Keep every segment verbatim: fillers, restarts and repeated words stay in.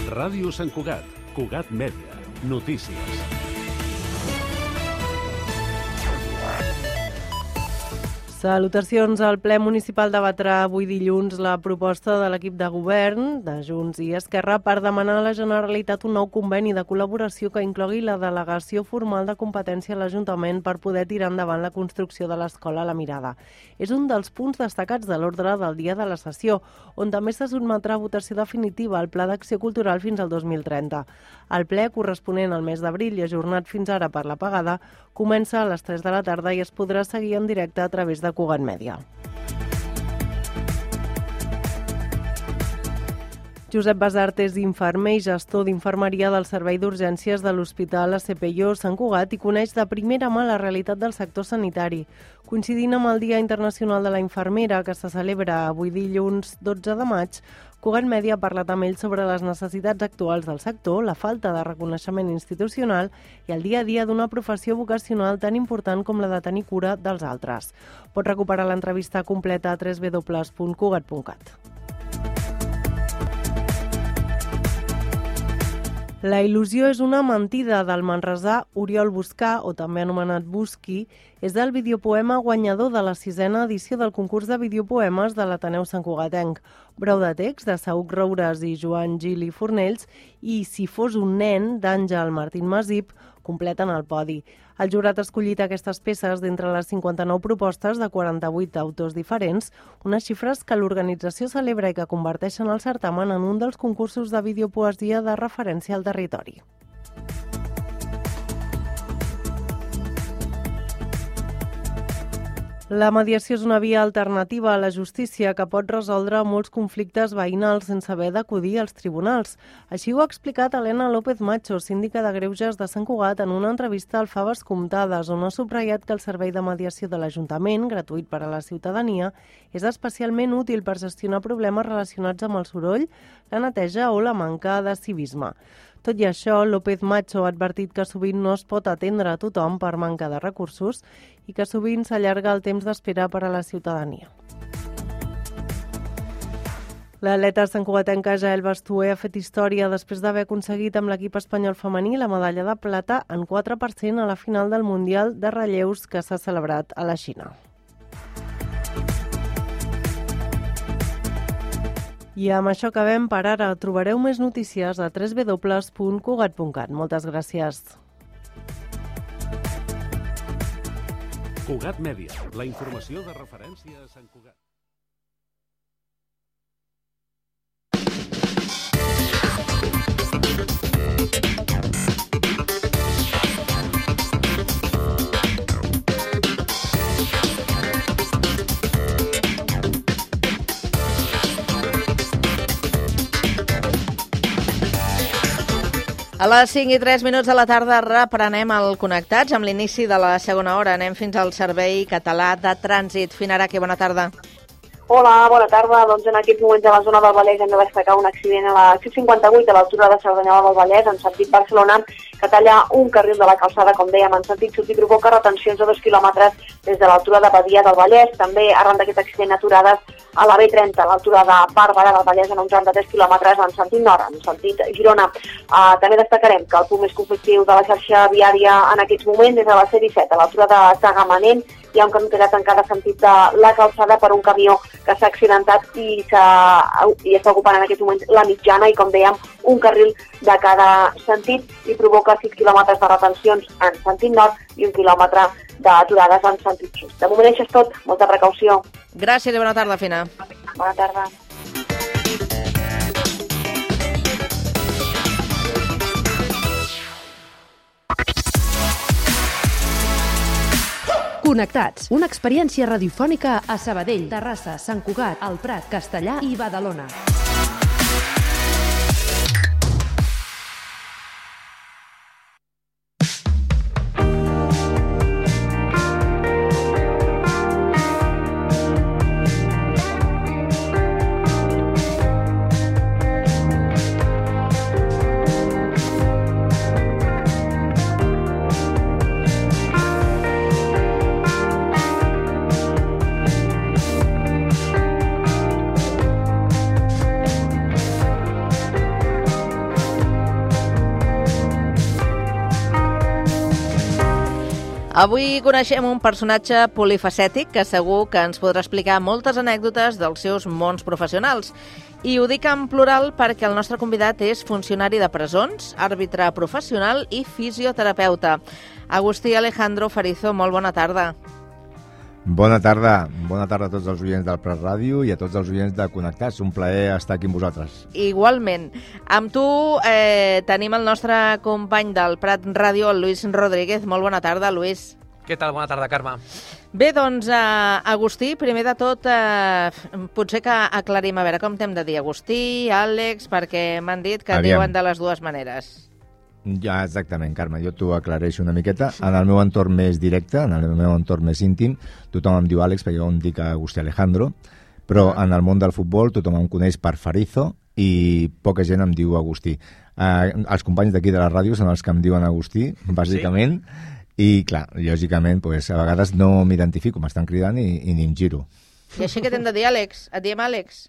Ràdio Sant Cugat, Cugat Mèdia, notícies. Salutacions. El ple municipal debatrà avui dilluns la proposta de l'equip de govern de Junts i Esquerra per demanar a la Generalitat un nou conveni de col·laboració que inclogui la delegació formal de competència a l'Ajuntament per poder tirar endavant la construcció de l'escola La Mirada. És un dels punts destacats de l'ordre del dia de la sessió, on també se sotmetrà a votació definitiva el Pla d'Acció Cultural fins al dos mil trenta. El ple, corresponent al mes d'abril i ajornat fins ara per l'apagada, comença a les tres de la tarda i es podrà seguir en directe a través de Cugat Mèdia. Josep Basart és infermer i gestor d'infermeria del Servei d'Urgències de l'Hospital A C P I O Sant Cugat i coneix de primera mà la realitat del sector sanitari. Coincidint amb el Dia Internacional de la Infermera, que se celebra avui dilluns dotze de maig, Cugat Mèdia ha parlat amb ell sobre les necessitats actuals del sector, la falta de reconeixement institucional i el dia a dia d'una professió vocacional tan important com la de tenir cura dels altres. Pot recuperar l'entrevista completa a w w w punt cugat punt cat. La il·lusió és una mentida del manresà Oriol Buscà, o també anomenat Busqui, és el videopoema guanyador de la sisena edició del concurs de videopoemes de l'Ateneu Sant Cugatenc. Brou de text de Saüc Roures i Joan Gil i Fornells i Si fos un nen d'Àngel Martín Masip completen el podi. El jurat ha escollit aquestes peces d'entre les cinquanta-nou propostes de quaranta-vuit autors diferents, unes xifres que l'organització celebra i que converteixen el certamen en un dels concursos de videopoesia de referència al territori. La mediació és una via alternativa a la justícia que pot resoldre molts conflictes veïnals sense haver d'acudir als tribunals. Així ho ha explicat Helena López Macho, síndica de Greuges de Sant Cugat, en una entrevista al Faves Comptades, on ha subratllat que el servei de mediació de l'Ajuntament, gratuït per a la ciutadania, és especialment útil per gestionar problemes relacionats amb el soroll, la neteja o la manca de civisme. Tot i això, López Macho ha advertit que sovint no es pot atendre a tothom per manca de recursos i que sovint s'allarga el temps d'espera per a la ciutadania. L'atleta santcugatenca Jael Bastué ha fet història després d'haver aconseguit amb l'equip espanyol femení la medalla de plata en quatre per cent a la final del Mundial de Relleus que s'ha celebrat a la Xina. I amb això acabem per ara. Trobareu més notícies a w w w punt cugat punt cat. Moltes gràcies. Cugat Mèdia, la informació de referència a Sant Cugat. A les cinc i tres minuts de la tarda reprenem el Connectats amb l'inici de la segona hora. Anem fins al Servei Català de Trànsit. Finaraki, bona tarda. Hola, bona tarda. Doncs en aquests moments a la zona del Vallès hem de destacar un accident a la C cinquanta-vuit a l'altura de Cerdanyola del Vallès, en sentit Barcelona, que talla un carril de la calçada, com dèiem, en sentit sud i provoca retencions de dos quilòmetres des de l'altura de Badia del Vallès. També, arran d'aquest accident, aturades a la B trenta, a l'altura de Bàrbara del Vallès, en un tram de tres quilòmetres en sentit nord, en sentit Girona. Uh, també destacarem que el punt més conflictiu de la xarxa viària en aquests moments és a la C disset, a l'altura de Tagamanent. Hi ha un carretera tancada en sentit de la calçada per un camió que s'ha accidentat i, i està ocupant en aquests moments la mitjana i, com dèiem, un carril de cada sentit i provoca sis quilòmetres de retencions en sentit nord i un quilòmetre d'aturades en sentit sud. De moment això és tot. Molta precaució. Gràcies i bona tarda, Fina. Bona tarda. Connectats, una experiència radiofònica a Sabadell, Terrassa, Sant Cugat, El Prat, Castellar i Badalona. Avui coneixem un personatge polifacètic que segur que ens podrà explicar moltes anècdotes dels seus mons professionals. I ho dic en plural perquè el nostre convidat és funcionari de presons, àrbitre professional i fisioterapeuta. Agustí Alejandro Farizo, molt bona tarda. Bona tarda. Bona tarda a tots els oients del Prat Ràdio i a tots els oients de Connectats. Un plaer estar aquí amb vosaltres. Igualment. Amb tu eh, tenim el nostre company del Prat Ràdio, el Lluís Rodríguez. Molt bona tarda, Lluís. Què tal? Bona tarda, Carme. Bé, doncs, eh, Agustí, primer de tot, eh, potser que aclarim, a veure, com t'hem de dir? Agustí, Àlex, perquè m'han dit que Aviam. diuen de les dues maneres. Ja, exactament, Carme. Jo t'ho aclareixo una miqueta. En el meu entorn més directe, en el meu entorn més íntim, tothom em diu Àlex, perquè jo em dic Agustí Alejandro, però en el món del futbol tothom em coneix per Farizo i poca gent em diu Agustí. Eh, els companys d'aquí de la ràdio són els que em diuen Agustí, bàsicament, sí? I, clar, lògicament, pues, a vegades no m'identifico, m'estan cridant i, i ni em giro. I així que t'hem de dir, Àlex? Et diem Àlex?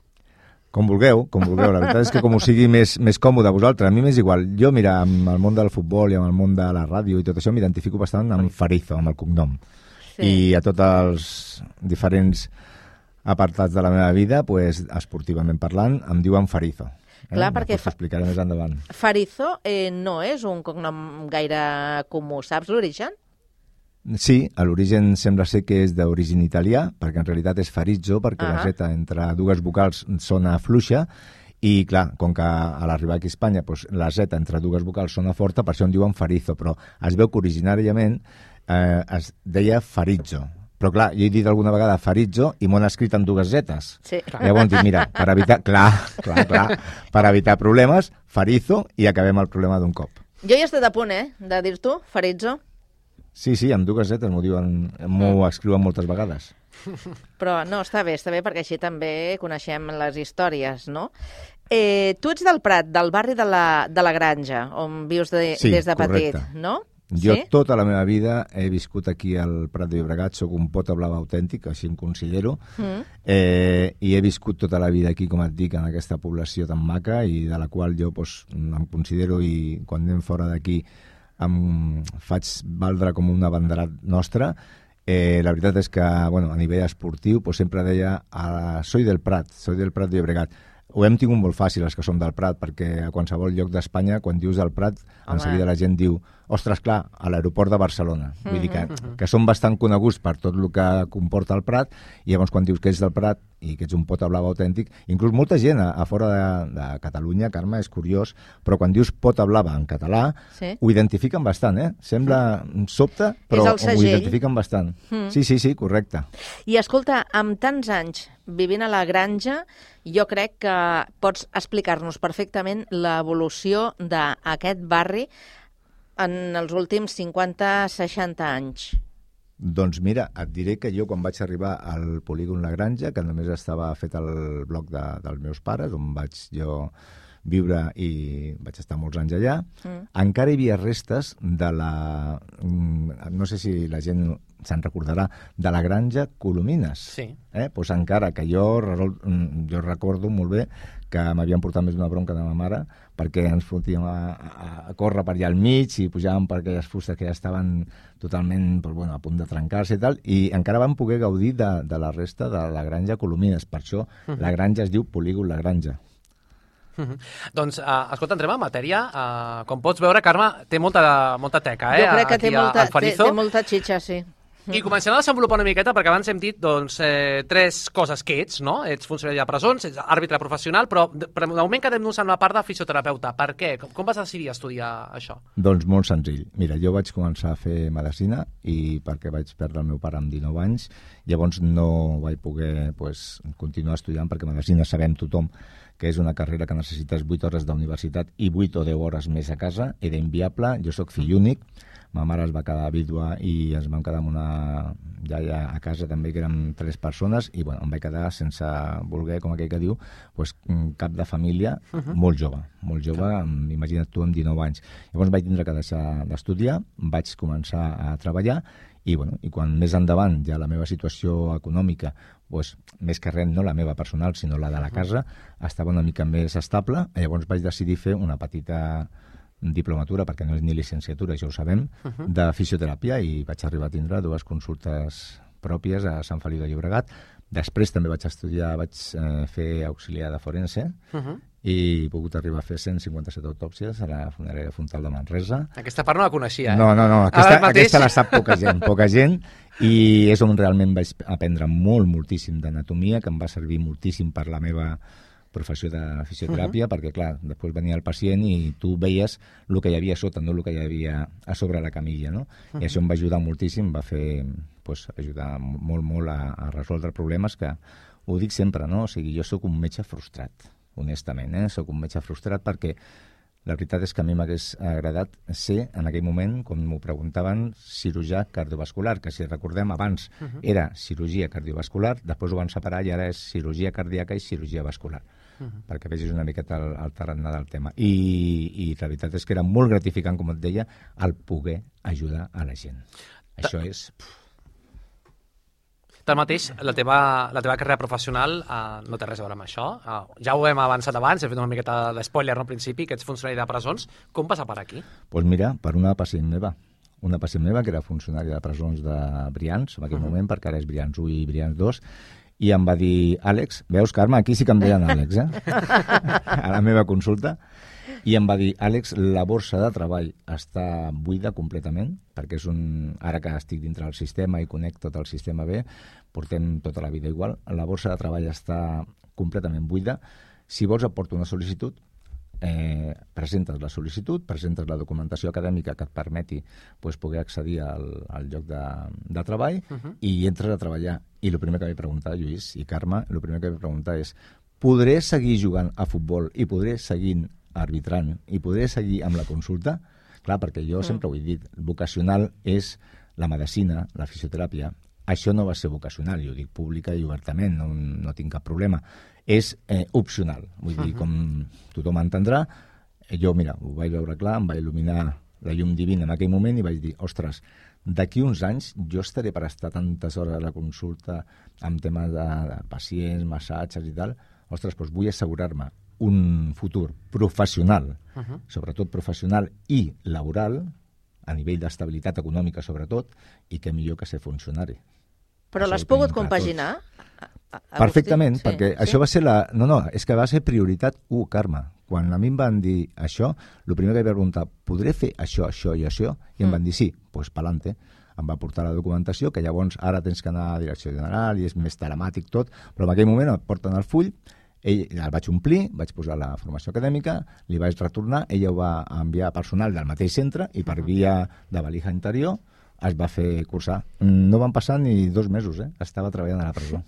Com vulgueu, com vulgueu. La veritat és que com us sigui més, més còmode a vosaltres. A mi m'és igual. Jo, mira, amb el món del futbol i amb el món de la ràdio i tot això m'identifico bastant amb Farizo, amb el cognom. Sí. I a tots els diferents apartats de la meva vida, pues, esportivament parlant, em diuen Farizo. Eh? Clar, perquè fa... explicaré més endavant. Farizo eh, no és un cognom gaire comú. Saps l'origen? Sí, a l'origen sembla ser que és d'origen italià, perquè en realitat és Farizzo, perquè uh -huh. la zeta entre dues vocals sona fluixa, i clar, com que a l'arribar aquí a Espanya pues, la zeta entre dues vocals sona forta, per això en diuen Farizo, però es veu que originàriament eh, es deia Farizzo. Però clar, jo he dit alguna vegada Farizzo i m'ho han escrit amb dues zetes. Sí. Llavors dic, mira, per evitar, clar, clar, clar, per evitar problemes, Farizo, i acabem el problema d'un cop. Jo hi he estat a punt, eh, de dir-t'ho, Farizzo. Sí, sí, amb dues zetes m'ho diuen, m'ho escriuen moltes vegades. Però no, està bé, està bé, perquè així també coneixem les històries, no? Eh, tu ets del Prat, del barri de la, de la Granja, on vius de, sí, des de petit, correcte. no? Jo sí? tota la meva vida he viscut aquí al Prat de Llobregat, soc un pota blava autèntic, així em considero, mm. eh, i he viscut tota la vida aquí, com et dic, en aquesta població tan maca i de la qual jo pues, em considero, i quan anem fora d'aquí em faig valdre com un abanderat nostre. Eh, la veritat és que, bueno, a nivell esportiu, pues, sempre deia ah, soy del Prat, soy del Prat de Llobregat. Ho hem tingut molt fàcil, els que som del Prat, perquè a qualsevol lloc d'Espanya, quan dius del Prat, Home. en seguida la gent diu, ostres, clar, a l'aeroport de Barcelona. Mm-hmm. Vull dir que, que són bastant coneguts per tot el que comporta el Prat, i llavors quan dius que ets del Prat i que ets un pota blava autèntic, inclús molta gent a, a fora de, de Catalunya, Carme, és curiós, però quan dius pota blava en català, sí. ho identifiquen bastant, eh? Sembla sobte, però ho identifiquen bastant. Mm. Sí, sí, sí, correcte. I escolta, amb tants anys vivint a la Granja, jo crec que pots explicar-nos perfectament l'evolució d'aquest barri en els últims cinquanta seixanta anys. Doncs mira, et diré que jo quan vaig arribar al polígon La Granja, que només estava fet al bloc de, dels meus pares, on vaig jo viure i vaig estar molts anys allà, mm. encara hi havia restes de la... no sé si la gent se'n recordarà, de la Granja Colomines. Sí. Eh? Pues encara que jo, jo recordo molt bé que m'havien portat més una bronca de ma mare perquè ens fotíem a, a, a córrer per allà al mig i pujàvem per aquelles fustes que ja estaven totalment pues, bueno, a punt de trencar-se i tal, i encara vam poder gaudir de, de la resta de la Granja Colomines. Per això uh-huh. la Granja es diu Polígon La Granja. Uh-huh. Doncs, uh, escolta, entrem en matèria. Uh, com pots veure, Carme, té molta, molta teca, eh? Jo crec que aquí té molta, a, té, té molta xitxa, sí. I comencem a desenvolupar una miqueta, perquè abans hem dit doncs, eh, tres coses que ets, no? Ets funcionari de presons, ets àrbitre professional, però de, de moment quedem-nos en la part de fisioterapeuta. Per què? Com, com vas decidir estudiar això? Doncs molt senzill. Mira, jo vaig començar a fer medicina i perquè vaig perdre el meu pare amb dinou anys, llavors no vaig poder pues, continuar estudiant, perquè medicina sabem tothom que és una carrera que necessites vuit hores d'universitat i vuit o deu hores més a casa. Era inviable, jo sóc fill únic, ma mare es va quedar vídua i ens vam quedar amb una iaia a casa també, que érem tres persones, i bueno, em vaig quedar sense voler, com aquell que diu, pues, cap de família, uh-huh. molt jove, molt jove, amb, imagina't tu, amb dinou anys. Llavors vaig tindre que deixar d'estudiar, vaig començar a treballar, i, bueno, i quan més endavant ja la meva situació econòmica, pues, més que res, no la meva personal, sinó la de la casa, estava una mica més estable, llavors vaig decidir fer una petita diplomatura, perquè no és ni llicenciatura, ja ho sabem, uh -huh. de fisioteràpia, i vaig arribar a tindre dues consultes pròpies a Sant Feliu de Llobregat. Després també vaig estudiar, vaig eh, fer auxiliar de forense, uh -huh. i he pogut arribar a fer cent cinquanta-set autòpsies a la funerària Fontal de Manresa. Aquesta part no la coneixia, eh? No, no, no, aquesta, aquesta la sap poca gent, poca gent, i és on realment vaig aprendre molt, moltíssim d'anatomia, que em va servir moltíssim per la meva professió de fisioteràpia, uh -huh. perquè, clar, després venia el pacient i tu veies el que hi havia a sota, no el que hi havia a sobre la camilla, no? Uh -huh. I això em va ajudar moltíssim, va fer, pues, ajudar molt, molt a, a resoldre problemes que, ho dic sempre, no? O sigui, jo sóc un metge frustrat, honestament, eh? Sóc un metge frustrat perquè la veritat és que a mi m'hagués agradat ser, en aquell moment, com m'ho preguntaven, cirurgià cardiovascular, que si recordem abans uh -huh. era cirurgia cardiovascular, després ho van separar i ara és cirurgia cardíaca i cirurgia vascular. Uh -huh. perquè vegis una miqueta el, el tarannà del tema. I, I la veritat és que era molt gratificant, com et deia, el poder ajudar a la gent. Ta Això és... Tanmateix, la teva, la teva carrera professional uh, no té res a veure amb això. Uh, ja ho hem avançat abans, he fet una miqueta d'espoiler no, al principi, que ets funcionari de presons. Com passa per aquí? Doncs pues mira, per una pacient meva. Una pacient meva que era funcionària de presons de Brians, en aquell uh -huh. moment, perquè ara és Brians u i Brians dos, i em va dir, Àlex, veus, Carme, aquí sí que em deien Àlex, eh? a la meva consulta, i em va dir, Àlex, la borsa de treball està buida completament, perquè és un... ara que estic dintre del sistema i conec tot el sistema bé, portem tota la vida igual, la borsa de treball està completament buida. Si vols et porto una sol·licitud, eh, presentes la sol·licitud, presentes la documentació acadèmica que et permeti pues, poder accedir al, al lloc de, de treball uh -huh. i entres a treballar. I el primer que vaig preguntar, Lluís i Carme, el primer que vaig preguntar és, podré seguir jugant a futbol i podré seguir arbitrant i podré seguir amb la consulta? Clar, perquè jo uh -huh. sempre ho he dit, vocacional és la medicina, la fisioteràpia. Això no va ser vocacional, jo ho dic pública i obertament, no, no tinc cap problema. És eh, opcional, vull dir, uh -huh. com tothom entendrà, jo, mira, ho vaig veure clar, em va il·luminar la llum divina en aquell moment i vaig dir, ostres, d'aquí uns anys jo estaré per estar tantes hores a la consulta amb temes de, de pacients, massatges i tal, ostres, doncs vull assegurar-me un futur professional, uh -huh. sobretot professional i laboral, a nivell d'estabilitat econòmica sobretot, i que millor que ser funcionari. Però l'has pogut compaginar? Perfectament, sí, perquè sí. això va ser la... No, no, és que va ser prioritat u, Carme. Quan a mi em van dir això, el primer que vaig preguntar, podré fer això, això i això? I em mm. van dir sí, doncs pues, pa'lante. Em va portar la documentació, que llavors ara tens que anar a direcció general i és més telemàtic tot, però en aquell moment em porten el full, ell, el vaig omplir, vaig posar la formació acadèmica, li vaig retornar, ella ho va enviar a personal del mateix centre i per via de valija interior es va fer cursar. No van passar ni dos mesos, eh? Estava treballant a la presó.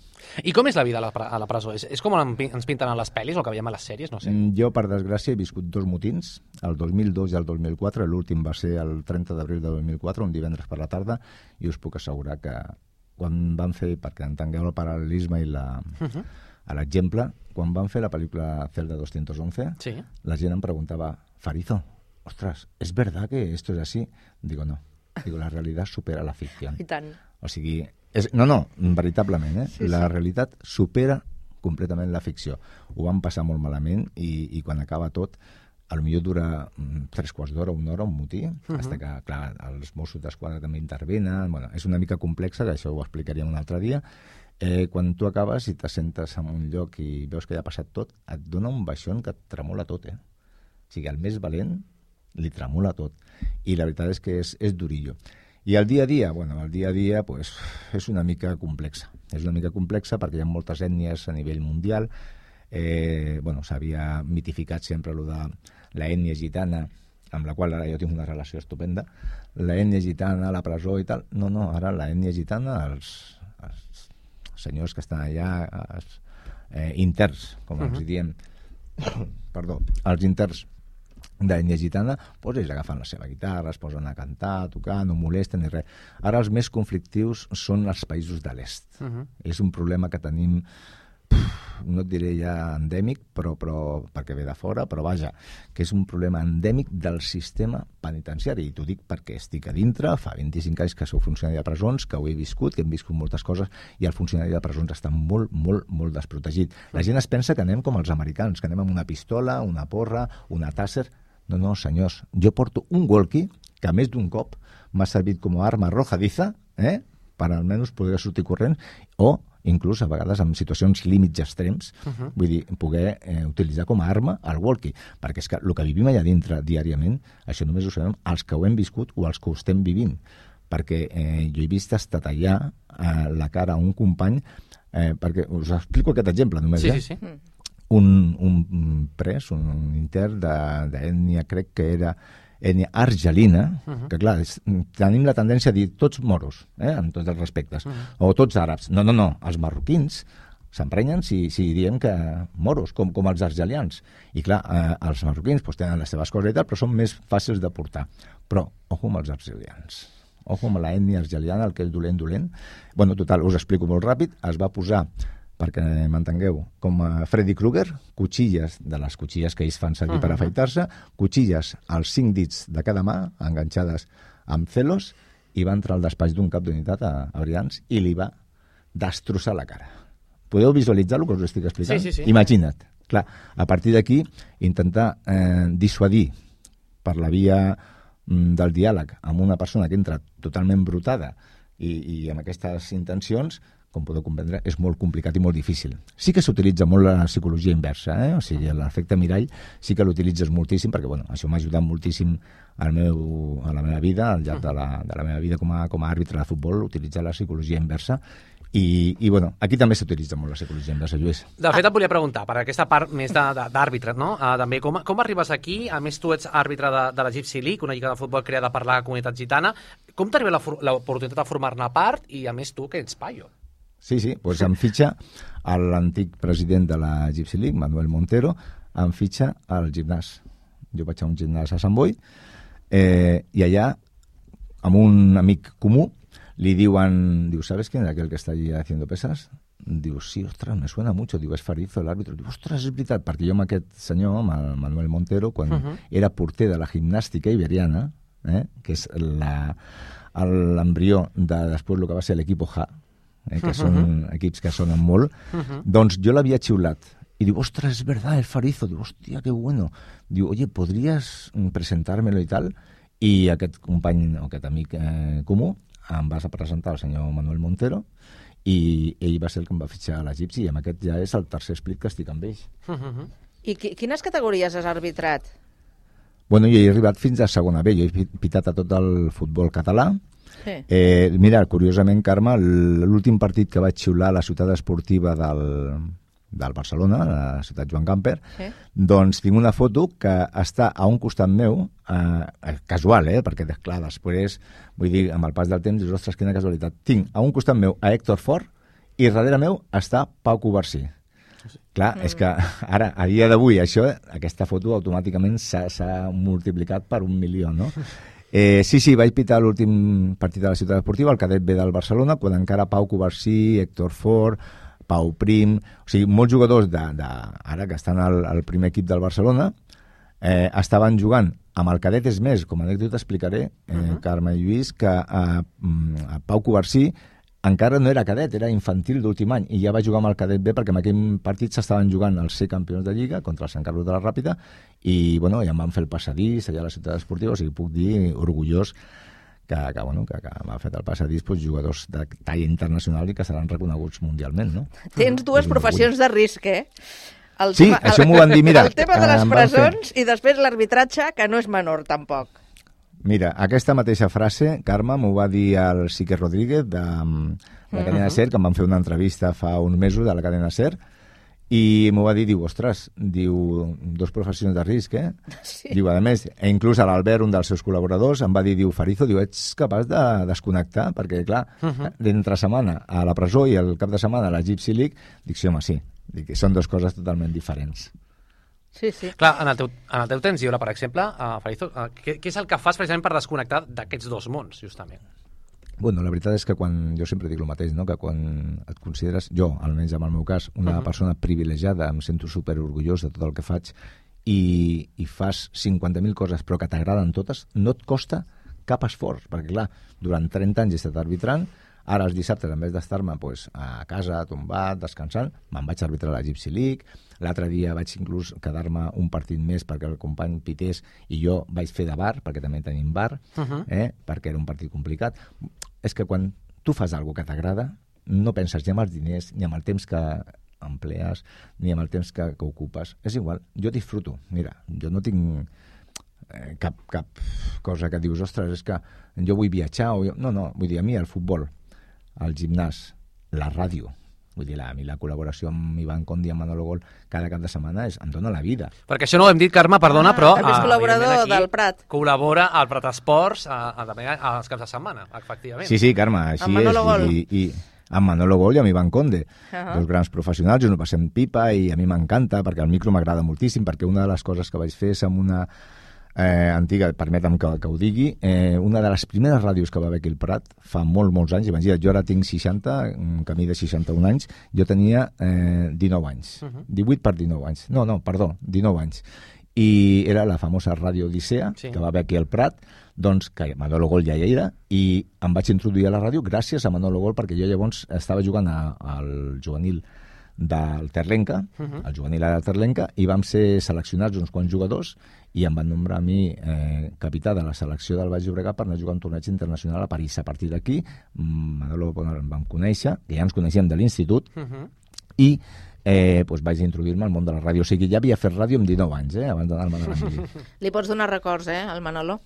I com és la vida a la, a la presó? És, és com ens pinten a les pel·lis o que veiem a les sèries? No sé. Jo, per desgràcia, he viscut dos motins, el dos mil dos i el dos mil quatre. L'últim va ser el trenta d'abril de dos mil quatre, un divendres per la tarda, i us puc assegurar que quan van fer, perquè entengueu el paral·lelisme i la... Uh -huh. a l'exemple, quan van fer la pel·lícula Celda doscientos once, sí. la gent em preguntava, Farizo, ostres, ¿es verdad que esto es así? Digo, no. Digo, la realitat supera la ficció. I tant. O sigui, és, no, no, veritablement, eh? Sí, la sí. realitat supera completament la ficció. Ho van passar molt malament i, i quan acaba tot, potser dura mm, tres quarts d'hora, una hora, un motí, uh -huh. fins que, clar, els Mossos d'Esquadra també intervenen. Bueno, és una mica complexa, que això ho explicaríem un altre dia. Eh, quan tu acabes i t'assentes en un lloc i veus que ja ha passat tot, et dona un baixón que et tremola tot, eh? O sigui, el més valent li tremola tot. I la veritat és que és, és durillo. I el dia a dia, bueno, el dia a dia pues, és una mica complexa. És una mica complexa perquè hi ha moltes ètnies a nivell mundial. Eh, bueno, s'havia mitificat sempre allò de la ètnia gitana, amb la qual ara jo tinc una relació estupenda. La ètnia gitana a la presó i tal. No, no, ara la ètnia gitana, els, els senyors que estan allà, els eh, interns, com uh -huh. els diem, perdó, els interns d'ètnia gitana, doncs ells agafen la seva guitarra, es posen a cantar, a tocar, no molesten ni res. Ara els més conflictius són els països de l'est. Uh -huh. És un problema que tenim, no et diré ja endèmic, però, però perquè ve de fora, però vaja, que és un problema endèmic del sistema penitenciari. I t'ho dic perquè estic a dintre, fa vint-i-cinc anys que sou funcionari de presons, que ho he viscut, que hem viscut moltes coses, i el funcionari de presons està molt, molt, molt desprotegit. La gent es pensa que anem com els americans, que anem amb una pistola, una porra, una tàsser. No, no, senyors, jo porto un walkie que a més d'un cop m'ha servit com a arma arrojadiza, eh? Per almenys poder sortir corrent, o inclús a vegades en situacions límits extrems, uh-huh. vull dir, poder eh, utilitzar com a arma el walkie, perquè és que el que vivim allà dintre diàriament, això només ho sabem els que ho hem viscut o els que ho estem vivint, perquè eh, jo he vist estatallar eh, la cara a un company, eh, perquè us explico aquest exemple només, sí, eh? sí, sí. Un, un pres, un intern d'ètnia, crec que era ètnia argelina, uh-huh. que clar, és, tenim la tendència a dir tots moros, eh, en tots els respectes, uh-huh. o tots àrabs. No, no, no, els marroquins s'emprenyen si, si diem que moros, com, com els argelians. I clar, eh, els marroquins pues, tenen les seves coses i tal, però són més fàcils de portar. Però, ojo amb els argelians. Ojo amb l'ètnia argeliana, el que és dolent, dolent. Bueno, total, us explico molt ràpid. Es va posar, perquè m'entengueu, com a Freddy Krueger, cuchilles, de les cuchilles que ells fan servir uh-huh. per afaitar-se, cuchilles als cinc dits de cada mà, enganxades amb celos, i va entrar al despatx d'un cap d'unitat a, a Brians i li va destrossar la cara. Podeu visualitzar el que us estic explicant? Sí, sí, sí. Imagina't. Clar, a partir d'aquí, intentar eh, dissuadir per la via mm, del diàleg amb una persona que entra totalment brutada i, i amb aquestes intencions, com podeu comprendre, és molt complicat i molt difícil. Sí que s'utilitza molt la psicologia inversa, eh? O sigui, l'efecte mirall sí que l'utilitzes moltíssim, perquè bueno, això m'ha ajudat moltíssim al meu, a la meva vida, al llarg de la, de la meva vida com a, com a àrbitre de futbol, utilitzar la psicologia inversa. I, i bueno, aquí també s'utilitza molt la psicologia inversa, Lluís. De fet, et volia preguntar, per aquesta part més d'àrbitre, no? Uh, també, com, com arribes aquí? A més, tu ets àrbitre de, de la Gypsy League, una lliga de futbol creada per la comunitat gitana. Com t'arriba l'oportunitat de formar-ne part? I a més, tu, que ets paio. Sí, sí, doncs em fitxa l'antic president de la Gypsy League, Manuel Montero, em fitxa al gimnàs. Jo vaig a un gimnàs a Sant Boi, eh, i allà, amb un amic comú, li diuen, diu, ¿sabes quién es aquel que está allí haciendo pesas? Diu, sí, ostres, me suena mucho. Diu, és Farizo, l'àrbitre. Diu, ostres, és veritat, perquè jo amb aquest senyor, amb el Manuel Montero, quan uh-huh. era porter de la gimnàstica iberiana, eh, que és l'embrió de després el que va ser l'equip J, eh, que són uh-huh. equips que sonen molt, uh-huh. doncs jo l'havia xiulat. Y digo, ostras, es verdad, el Farizo. Digo, hostia, qué bueno. Digo, oye, ¿podrías presentármelo y tal? I aquest company, o aquest amic eh, comú, em vas a presentar el senyor Manuel Montero, i ell va ser el que em va fitxar a la Gypsy, i amb aquest ja és el tercer split que estic amb ells. Uh-huh. I qui, quines categories has arbitrat? Bueno, jo he arribat fins a segona B, jo he pitat a tot el futbol català. Sí. Eh, mira, curiosament, Carme, l'últim partit que vaig xiular a la ciutat esportiva del, del Barcelona, la ciutat Joan Gamper, sí. doncs tinc una foto que està a un costat meu, eh, casual, eh, perquè, clar, després, vull dir, amb el pas del temps, dius, ostres, quina casualitat. Tinc a un costat meu a Héctor Fort i darrere meu està Pau Covarsí. Clar, mm. és que ara, a dia d'avui, això, aquesta foto automàticament s'ha multiplicat per un milió, no? Eh, sí, sí, vaig pitar l'últim partit de la ciutat esportiva, el cadet B del Barcelona, quan encara Pau Covarsí, Héctor Fort, Pau Prim, o sigui, molts jugadors de, de, ara que estan al, al primer equip del Barcelona, eh, estaven jugant amb el cadet. És més, com a anècdota explicaré, eh, uh-huh. Carme i Lluís, que eh, a Pau Covarsí encara no era cadet, era infantil d'últim any, i ja va jugar amb el cadet B, perquè en aquell partit s'estaven jugant els ser campions de Lliga contra el Sant Carlos de la Ràpita, i bueno, ja em van fer el passadís allà a la ciutat esportiva, o sigui, puc dir orgullós que, que, bueno, que, que m'ha fet el passadís doncs, jugadors de talla internacional i que seran reconeguts mundialment, no? Tens dues professions de risc, eh? El sí, tema, això m'ho van dir, mira... El tema de les presons i després l'arbitratge, que no és menor, tampoc. Mira, aquesta mateixa frase, Carme, m'ho va dir el Sique Rodríguez de, de la cadena SER, que em van fer una entrevista fa uns mesos de la cadena SER, i m'ho va dir, diu, ostres, diu, dos professions de risc, eh? Sí. Diu, a més, e inclús a l'Albert, un dels seus col·laboradors, em va dir, diu, Farizo, diu, ets capaç de desconnectar? Perquè, clar, uh-huh. d'entre setmana a la presó i el cap de setmana a la Gypsy League, dic, sí, home, sí, dic, són dues coses totalment diferents. Sí, sí. Clar, en el teu, en el teu temps lliure, per exemple, uh, Farizo, uh, què, què és el que fas precisament per desconnectar d'aquests dos mons, justament? Bueno, la veritat és que quan, jo sempre dic el mateix, no? Que quan et consideres, jo, almenys en el meu cas, una uh-huh. persona privilegiada, em sento superorgullós de tot el que faig, i, i fas cinquanta mil coses però que t'agraden totes, no et costa cap esforç, perquè clar, durant trenta anys he estat arbitrant, Ara, els dissabtes, en vez d'estar-me pues, a casa, tombat, descansant, me'n vaig arbitrar la Gypsy League. L'altre dia vaig inclús quedar-me un partit més perquè el company pités i jo vaig fer de bar, perquè també tenim bar, uh -huh. eh, perquè era un partit complicat. És que quan tu fas alguna que t'agrada, no penses ni en els diners, ni en el temps que emplees, ni en el temps que, que ocupes. És igual, jo disfruto. Mira, jo no tinc eh, cap, cap cosa que dius, ostres, és que jo vull viatjar. O jo... No, no, vull dir, a mi el futbol, el gimnàs, la ràdio, vull dir, la, a mi la col·laboració amb Ivan Condi i amb Manolo Gol cada cap de setmana és, em dona la vida. Perquè això no ho hem dit, Carme, perdona, ah, però... També és col·laborador del Prat. Col·labora al Prat Esports a, a, a, als caps de setmana, efectivament. Sí, sí, Carme, així amb Manolo és. Gol. I, i, amb Manolo Gol i amb Ivan Conde, uh -huh. dos grans professionals, ens ho passem pipa i a mi m'encanta perquè el micro m'agrada moltíssim, perquè una de les coses que vaig fer és amb una eh, antiga, permetem que, que ho digui, eh, una de les primeres ràdios que va haver aquí al Prat fa molts, molts anys, imagina't, jo ara tinc seixanta, un camí de seixanta-un anys, jo tenia eh, dinou anys, uh -huh. divuit per dinou anys, no, no, perdó, dinou anys, i era la famosa Ràdio Odissea, sí. que va haver aquí al Prat, doncs que Manolo Gol ja hi era, i em vaig introduir a la ràdio gràcies a Manolo Gol, perquè jo llavors estava jugant a, al juvenil del Terlenca, uh -huh. el juvenil del Terlenca, i vam ser seleccionats uns quants jugadors i em van nombrar a mi eh, capità de la selecció del Baix Llobregat per anar a jugar un torneig internacional a París. A partir d'aquí, Manolo em vam conèixer, que ja ens coneixíem de l'institut, uh -huh. i eh, doncs vaig introduir-me al món de la ràdio. O sigui, ja havia fet ràdio amb dinou anys, eh, abans d'anar-me a la Li pots donar records, eh, al Manolo?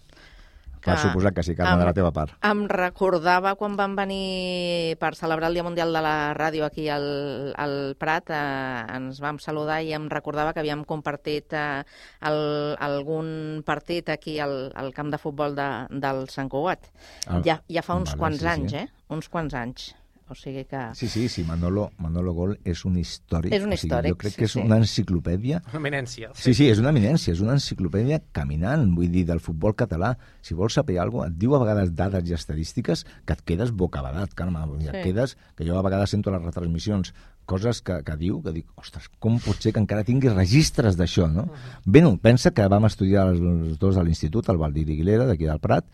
Per suposat que sí, Carme, em, de la teva part. Em recordava quan vam venir per celebrar el Dia Mundial de la Ràdio aquí al, al Prat, eh, ens vam saludar i em recordava que havíem compartit eh, el, algun partit aquí al, al camp de futbol de, del Sant Cugat. Ah, ja, ja fa uns vale, quants sí, anys, sí. eh? Uns quants anys. O sigui que... Sí, sí, sí, Manolo, Manolo Gol és un històric. És un històric, o sigui, jo crec sí, que és sí. una enciclopèdia. Una eminència. Sí. sí, sí, és una eminència, és una enciclopèdia caminant, vull dir, del futbol català. Si vols saber alguna cosa, et diu a vegades dades i estadístiques que et quedes bocabadat, Carme. Sí. Et quedes, que jo a vegades sento les retransmissions, coses que, que diu, que dic, ostres, com pot ser que encara tinguis registres d'això, no? Uh -huh. Bé, no, pensa que vam estudiar els dos a l'institut, al Valdir Aguilera, d'aquí del Prat,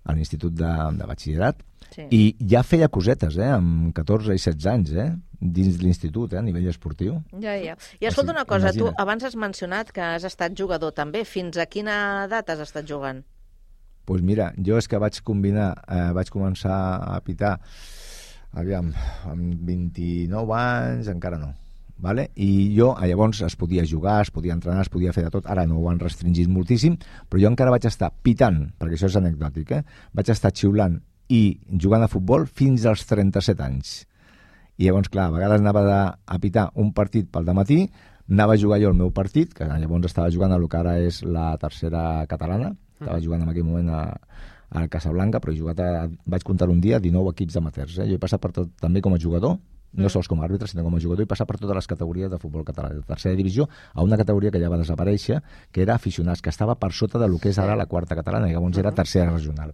a l'institut de, de batxillerat, sí. i ja feia cosetes, eh, amb catorze i setze anys, eh, dins l'institut, eh, a nivell esportiu. Ja, ja. I escolta una cosa, imagina. Tu abans has mencionat que has estat jugador també. Fins a quina edat has estat jugant? Doncs pues mira, jo és que vaig combinar, eh, vaig començar a pitar, aviam, amb vint-i-nou anys, encara no. Vale? I jo, llavors, es podia jugar, es podia entrenar, es podia fer de tot. Ara no ho han restringit moltíssim, però jo encara vaig estar pitant, perquè això és anecdòtic, eh? Vaig estar xiulant i jugant a futbol fins als trenta-set anys. I llavors, clar, a vegades anava de, a pitar un partit pel dematí, anava a jugar jo el meu partit, que llavors estava jugant a el que ara és la tercera catalana, estava jugant en aquell moment a, a Casablanca, però he jugat a, vaig comptar un dia dinou equips amateurs. Eh? Jo he passat per tot, també com a jugador, no sols com a àrbitre, sinó com a jugador, i passar per totes les categories de futbol català, de tercera divisió, a una categoria que ja va desaparèixer, que era aficionats, que estava per sota de lo que és ara la quarta catalana, i llavors era tercera regional.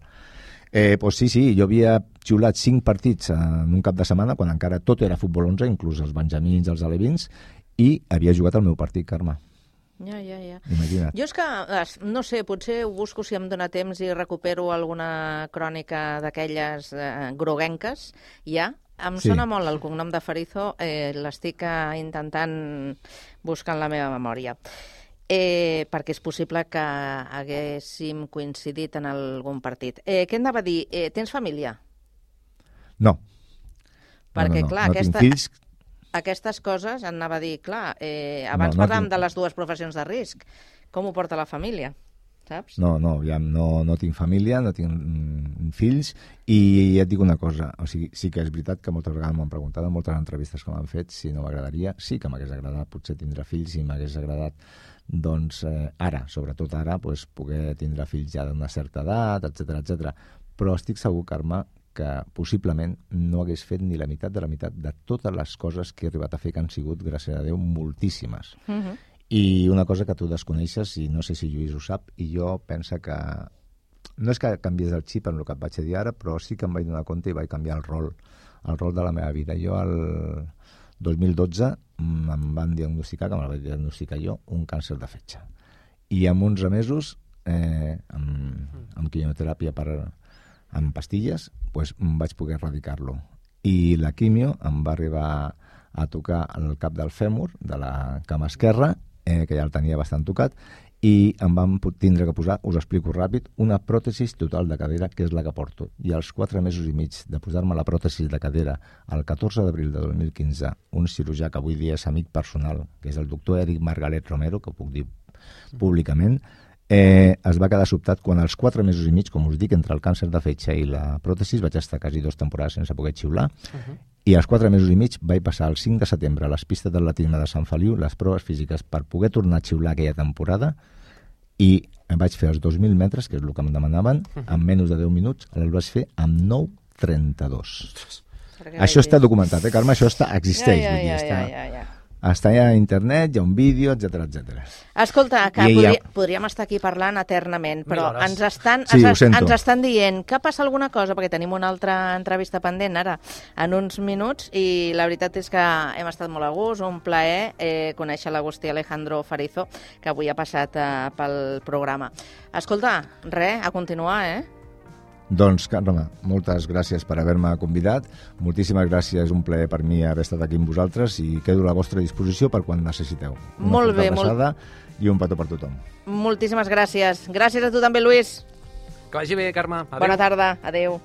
Eh, doncs sí, sí, jo havia xiulat cinc partits en un cap de setmana, quan encara tot era futbol onze, inclús els benjamins, els alevins, i havia jugat el meu partit, Carme. Ja, ja, ja. Imagina't. Jo és que, no sé, potser ho busco si em dóna temps i recupero alguna crònica d'aquelles eh, groguenques, ja. Em sí. Sona molt el cognom de Farizo, eh, l'estic eh, intentant buscar en la meva memòria. Eh, perquè és possible que haguéssim coincidit en algun partit. Eh, què anava a dir? Eh, tens família? No. Perquè, no, no, no. clar, no aquesta, fills... aquestes coses, anava a dir, clar, eh, abans no, no parlàvem tinc... de les dues professions de risc. Com ho porta la família? Saps? No, no, ja no, no tinc família, no tinc mm, fills, i ja et dic una cosa, o sigui, sí que és veritat que moltes vegades m'han preguntat en moltes entrevistes que m'han fet si no m'agradaria, sí que m'hagués agradat potser tindre fills, i m'hagués agradat doncs eh, ara, sobretot ara, pues, poder tindre fills ja d'una certa edat, etcètera, etcètera. Però estic segur, Carme, que possiblement no hagués fet ni la meitat de la meitat de totes les coses que he arribat a fer, que han sigut, gràcies a Déu, moltíssimes. Uh-huh. I una cosa que tu desconeixes, i no sé si Lluís ho sap, i jo penso que no és que canviés el xip en el que et vaig dir ara, però sí que em vaig donar compte i vaig canviar el rol, el rol de la meva vida. Jo el dos mil dotze em van diagnosticar, que me la vaig diagnosticar jo, un càncer de fetge. I en onze mesos, eh, amb, amb quimioteràpia per, amb pastilles, doncs vaig poder erradicar-lo. I la quimio em va arribar a tocar el cap del fèmur, de la cama esquerra, eh, que ja el tenia bastant tocat, i em van tindre que posar, us explico ràpid, una pròtesis total de cadera, que és la que porto. I als quatre mesos i mig de posar-me la pròtesis de cadera, el catorze d'abril de dos mil quinze, un cirurgià que avui dia és amic personal, que és el doctor Eric Margalet Romero, que ho puc dir públicament, eh, es va quedar sobtat quan als quatre mesos i mig, com us dic, entre el càncer de fetge i la pròtesis, vaig estar quasi dues temporades sense poder xiular, uh-huh. i als quatre mesos i mig vaig passar el cinc de setembre a les pistes d'atletisme de Sant Feliu les proves físiques per poder tornar a xiular aquella temporada, i em vaig fer els dos mil metres, que és el que em demanaven, en menys de deu minuts, el vaig fer amb nou trenta-dos. Això està documentat, eh, Carme? Això està, existeix. Ja, ja, vull dir, ja, està, ja, ja, ja. està a internet, hi ha un vídeo, etcètera, etcètera. Escolta, que I podri, ja- podríem estar aquí parlant eternament, però Mil hores. ens estan, Sí, ho ens, sento. ens estan dient que passa alguna cosa, perquè tenim una altra entrevista pendent ara en uns minuts, i la veritat és que hem estat molt a gust, un plaer eh, conèixer l'Agustí Alejandro Farizo, que avui ha passat eh, pel programa. Escolta, res, a continuar, eh? Doncs, Carme, moltes gràcies per haver-me convidat. Moltíssimes gràcies, és un plaer per mi haver estat aquí amb vosaltres i quedo a la vostra disposició per quan necessiteu. Una Molt bé, forta molt- abraçada i un petó per tothom. Moltíssimes gràcies. Gràcies a tu també, Lluís. Que vagi bé, Carme. Adéu. Bona tarda. Adéu.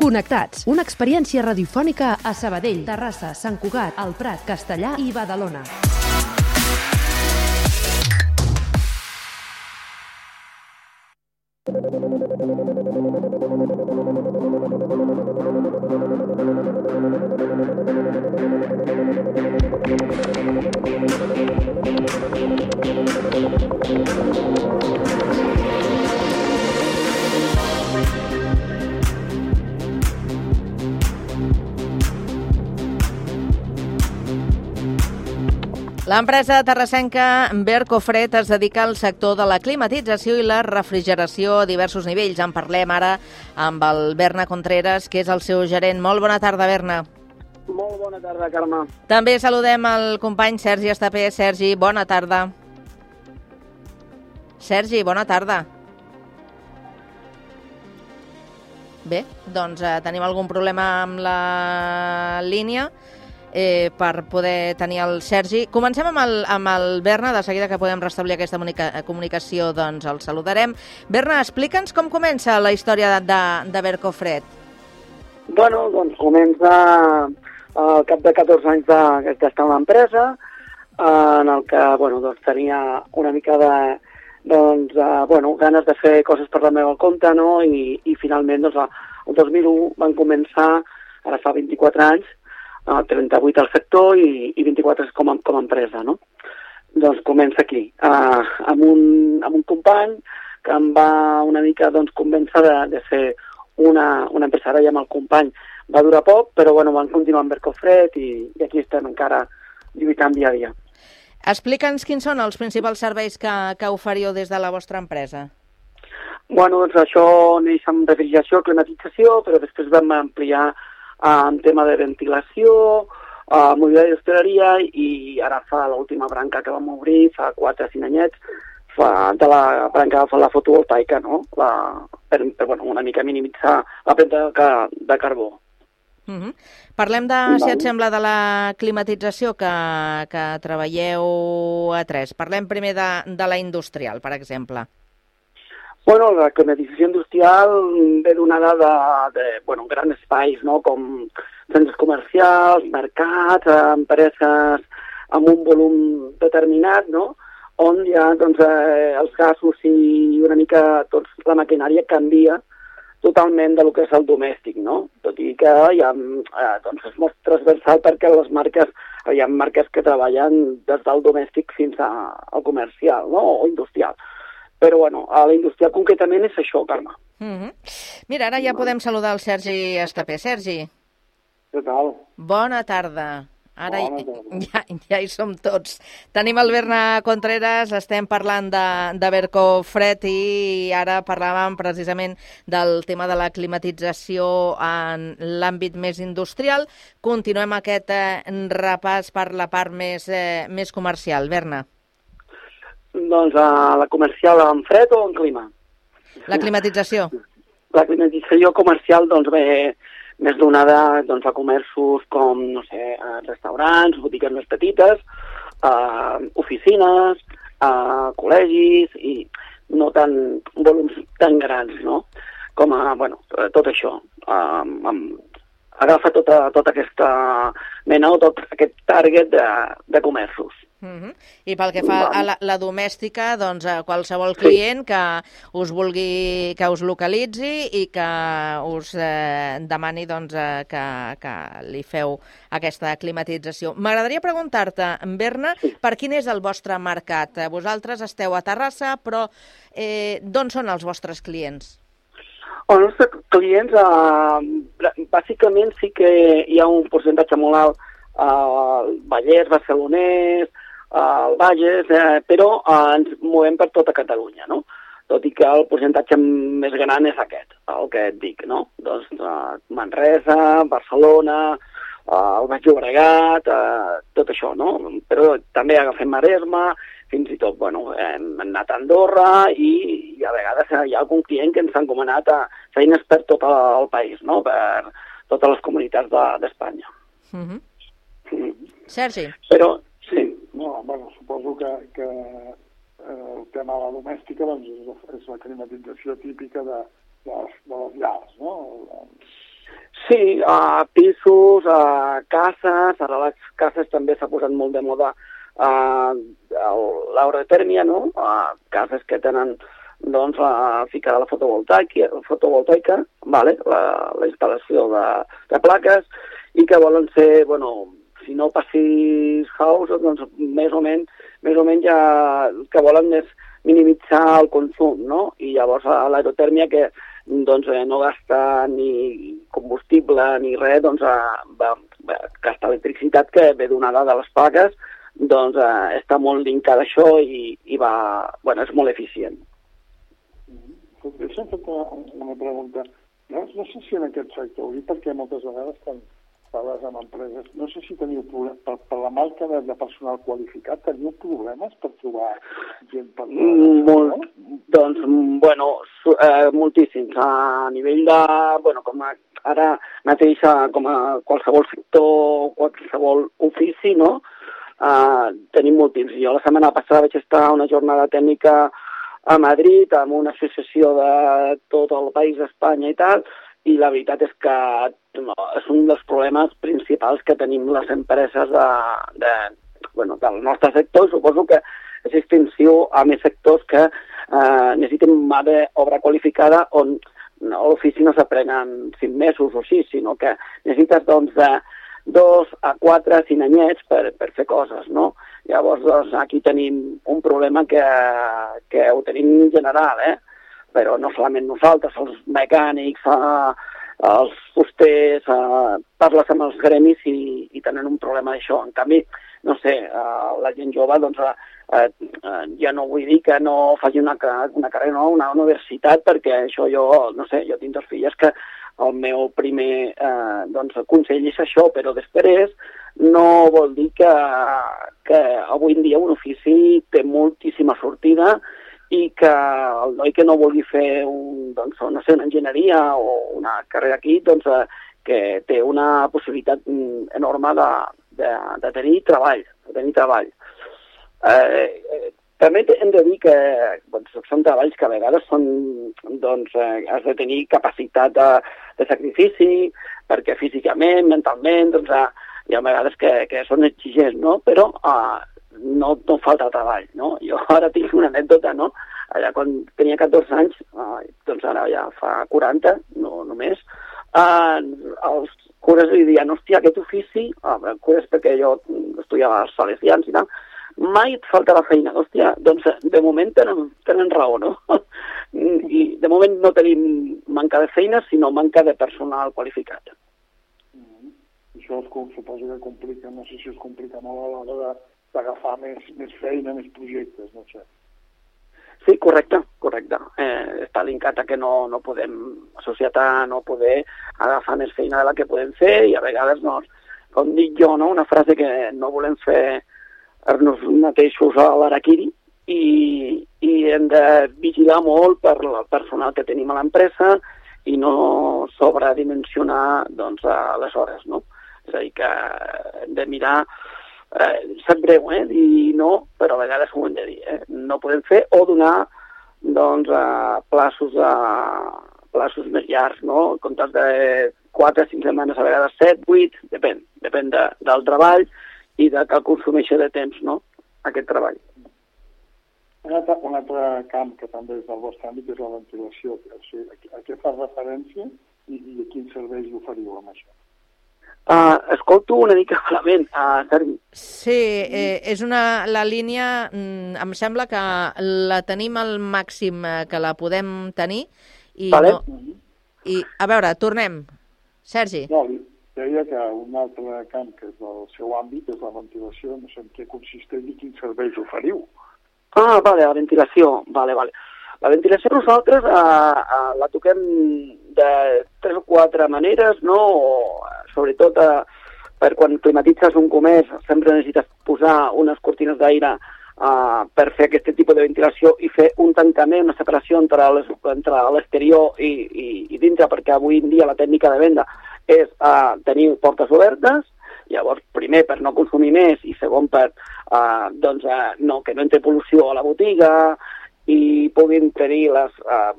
Connectats, una experiència radiofònica a Sabadell, Terrassa, Sant Cugat, El Prat, Castellà i Badalona. L'empresa terrassenca Bercofred es dedica al sector de la climatització i la refrigeració a diversos nivells. En parlem ara amb el Berna Contreras, que és el seu gerent. Molt bona tarda, Berna. Molt bona tarda, Carme. També saludem el company Sergi Estapé. Sergi, bona tarda. Sergi, bona tarda. Bé, doncs eh, tenim algun problema amb la línia eh, per poder tenir el Sergi. Comencem amb el, amb el Berna, de seguida que podem restablir aquesta comunica comunicació, doncs el saludarem. Berna, explica'ns com comença la història de, de, de Bercofred. Bueno, doncs comença al cap de catorze anys d'estar en l'empresa, en el que bueno, doncs, tenia una mica de doncs, uh, bueno, ganes de fer coses per la meva compte, no? I, i finalment doncs, el dos mil u van començar, ara fa vint-i-quatre anys, uh, trenta-vuit al sector i, i vint-i-quatre com a, com a empresa, no? Doncs comença aquí, uh, amb, un, amb un company que em va una mica doncs, convèncer de, de fer una, una empresa. Ara ja amb el company va durar poc, però bueno, van continuar amb Bercofred i, i aquí estem encara lluitant dia a dia. Explica'ns quins són els principals serveis que, que oferiu des de la vostra empresa. Bueno, doncs això neix amb refrigeració, climatització, però després vam ampliar uh, en tema de ventilació, uh, mobiliari d'hostaleria i ara fa l'última branca que vam obrir, fa quatre o cinc anyets, fa, de la branca de la fotovoltaica, no? La, per, per bueno, una mica minimitzar la premsa de, de carbó. Uh -huh. Parlem de, si et sembla, de la climatització que, que treballeu a tres. Parlem primer de, de la industrial, per exemple. Bueno, la climatització industrial ve donada de, de bueno, grans espais, no? Com centres comercials, mercats, empreses amb un volum determinat, no? On ja doncs, eh, els gasos i una mica doncs, la maquinària canvia totalment de lo que és el domèstic, no? Tot i que hi ha, eh, doncs és molt transversal perquè les marques, hi ha marques que treballen des del domèstic fins a, al comercial, no? O industrial. Però, bueno, a la industrial concretament és això, Carme. Uh -huh. Mira, ara ja podem saludar el Sergi Estapé. Sergi. Què tal? Bona tarda. Ara Bona tarda. ja, ja hi som tots. Tenim el Berna Contreras, estem parlant de, de Bercofred i ara parlàvem precisament del tema de la climatització en l'àmbit més industrial. Continuem aquest eh, repàs per la part més, eh, més comercial. Berna. Doncs uh, la comercial en fred o en clima? La climatització. La climatització comercial, doncs bé, més donada doncs, a comerços com, no sé, restaurants, botigues més petites, eh, oficines, eh, col·legis i no tan volums tan grans, no? Com a, bueno, tot això. Eh, agafa tota, tota aquesta mena o tot aquest target de, de comerços. Uh-huh. I pel que fa a la, la domèstica, doncs a qualsevol client que us vulgui, que us localitzi i que us eh, demani doncs, eh, que, que li feu aquesta climatització. M'agradaria preguntar-te, Berna, per quin és el vostre mercat? Vosaltres esteu a Terrassa, però eh, d'on són els vostres clients? Els nostres clients, eh, bàsicament sí que hi ha un percentatge molt alt al eh, Vallès, Barcelonès, al Bages, eh, però eh, ens movem per tota Catalunya, no? Tot i que el percentatge més gran és aquest, el que et dic, no? Doncs eh, Manresa, Barcelona, eh, el Baix Llobregat, eh, tot això, no? Però també agafem Maresme, fins i tot, bueno, hem anat a Andorra i, i a vegades hi ha algun client que ens ha encomanat a feines per tot el país, no? Per totes les comunitats d'Espanya. De, uh-huh. mm. Sergi? Però, sí. No, bueno, suposo que, que eh, el tema de la domèstica doncs, és, és la climatització típica de, de, les, de les llars, no? Sí, a uh, pisos, a uh, cases, ara les cases també s'ha posat molt de moda uh, l'aerotèrmia, no? Uh, cases que tenen doncs, la ficada la fotovoltaica, fotovoltaica vale? la, la instal·lació de, de plaques i que volen ser, bueno, si no passis house, doncs més o menys, més o menys ja el que volen és minimitzar el consum, no? I llavors l'aerotèrmia que doncs, no gasta ni combustible ni res, doncs va, va gastar electricitat que ve donada de les plaques, doncs eh, està molt linkada a això i, i va, bueno, és molt eficient. Mm-hmm. Deixa'm fer una pregunta. No, no sé si en aquest sector, perquè moltes vegades quan parles amb empreses, no sé si teniu problemes, per, per la manca de, de personal qualificat, teniu problemes per trobar gent per... Molt, doncs, bueno, eh, moltíssims. A nivell de, bueno, com a, ara mateix, com a qualsevol sector, qualsevol ofici, no? Uh, tenim moltíssims. Jo la setmana passada vaig estar a una jornada tècnica a Madrid amb una associació de tot el país d'Espanya i tal, i la veritat és que no, és un dels problemes principals que tenim les empreses de, de, bueno, del nostre sector, i suposo que és extensiu a més sectors que eh, necessiten mà d'obra qualificada on no, l'ofici no s'aprenen cinc mesos o sis, sinó que necessites doncs, de dos a quatre, cinc anyets per, per fer coses, no? Llavors, doncs, aquí tenim un problema que, que ho tenim en general, eh? Però no solament nosaltres, els mecànics, eh, els fusters, eh, parles amb els gremis i, i tenen un problema d'això. En canvi, no sé, eh, la gent jove, doncs, eh, eh, ja no vull dir que no faci una, una carrera, no, una universitat, perquè això jo, no sé, jo tinc dos filles que el meu primer eh, doncs, consell és això, però després no vol dir que, que avui en dia un ofici té moltíssima sortida i que el noi que no vulgui fer un, doncs, no sé, una enginyeria o una carrera aquí, doncs, eh, que té una possibilitat enorme de, de, de tenir treball, de tenir treball. Eh, eh, també hem de dir que doncs, són treballs que a vegades són, doncs, eh, has de tenir capacitat de, de sacrifici, perquè físicament, mentalment, doncs, eh, hi ha vegades que, que són exigents, no? Però eh, no, no falta treball, no? Jo ara tinc una anècdota, no? Allà quan tenia catorze anys, eh, doncs ara ja fa quaranta, no només, eh, els cures li diuen, hòstia, aquest ofici, eh, cures perquè jo estudiava als salesians i tal, mai et falta la feina, hòstia, doncs de moment tenen, tenen raó, no? I de moment no tenim manca de feina, sinó manca de personal qualificat. Això es, suposo que complica, no sé si es complica molt a l'hora d'agafar més, més feina, més projectes, no sé. Sí, correcte, correcte. Eh, està linkat a que no, no podem, la societat no poder agafar més feina de la que podem fer i a vegades, no, com dic jo, no? Una frase que no volem fer nos mateixos a l'araquiri i, i hem de vigilar molt per el personal que tenim a l'empresa i no sobredimensionar doncs, les hores, no? És a dir, que hem de mirar, eh, sap greu, eh, dir no, però a vegades ho hem de dir, eh? No podem fer o donar doncs, a plaços, a plaços més llargs, no? En comptes de quatre, cinc setmanes, a vegades set, vuit, depèn, depèn de, del treball i de que consumeixi de temps, no?, aquest treball. Un altre, un altre camp que també és del vostre àmbit és la ventilació. O sigui, a, a què fa referència i, i a quins serveis oferiu amb això? Uh, escolto una mica malament, uh, Sergi. Sí, eh, és una, la línia, mm, em sembla que la tenim al màxim que la podem tenir. I vale. No, i, a veure, tornem. Sergi. No, deia que un altre camp que és del seu àmbit és la ventilació, no sé en què consisteix i quins serveis oferiu. Ah, vale, la ventilació, vale, vale. La ventilació nosaltres eh, eh, la toquem de tres o quatre maneres, no? O, sobretot eh, per quan climatitzes un comerç sempre necessites posar unes cortines d'aire eh, per fer aquest tipus de ventilació i fer un tancament, una separació entre l'exterior i, i, i dintre, perquè avui en dia la tècnica de venda és eh, tenir portes obertes. Llavors, primer, per no consumir més, i segon, per eh, doncs, eh, no, que no entri pol·lució a la botiga i puguin tenir les eh,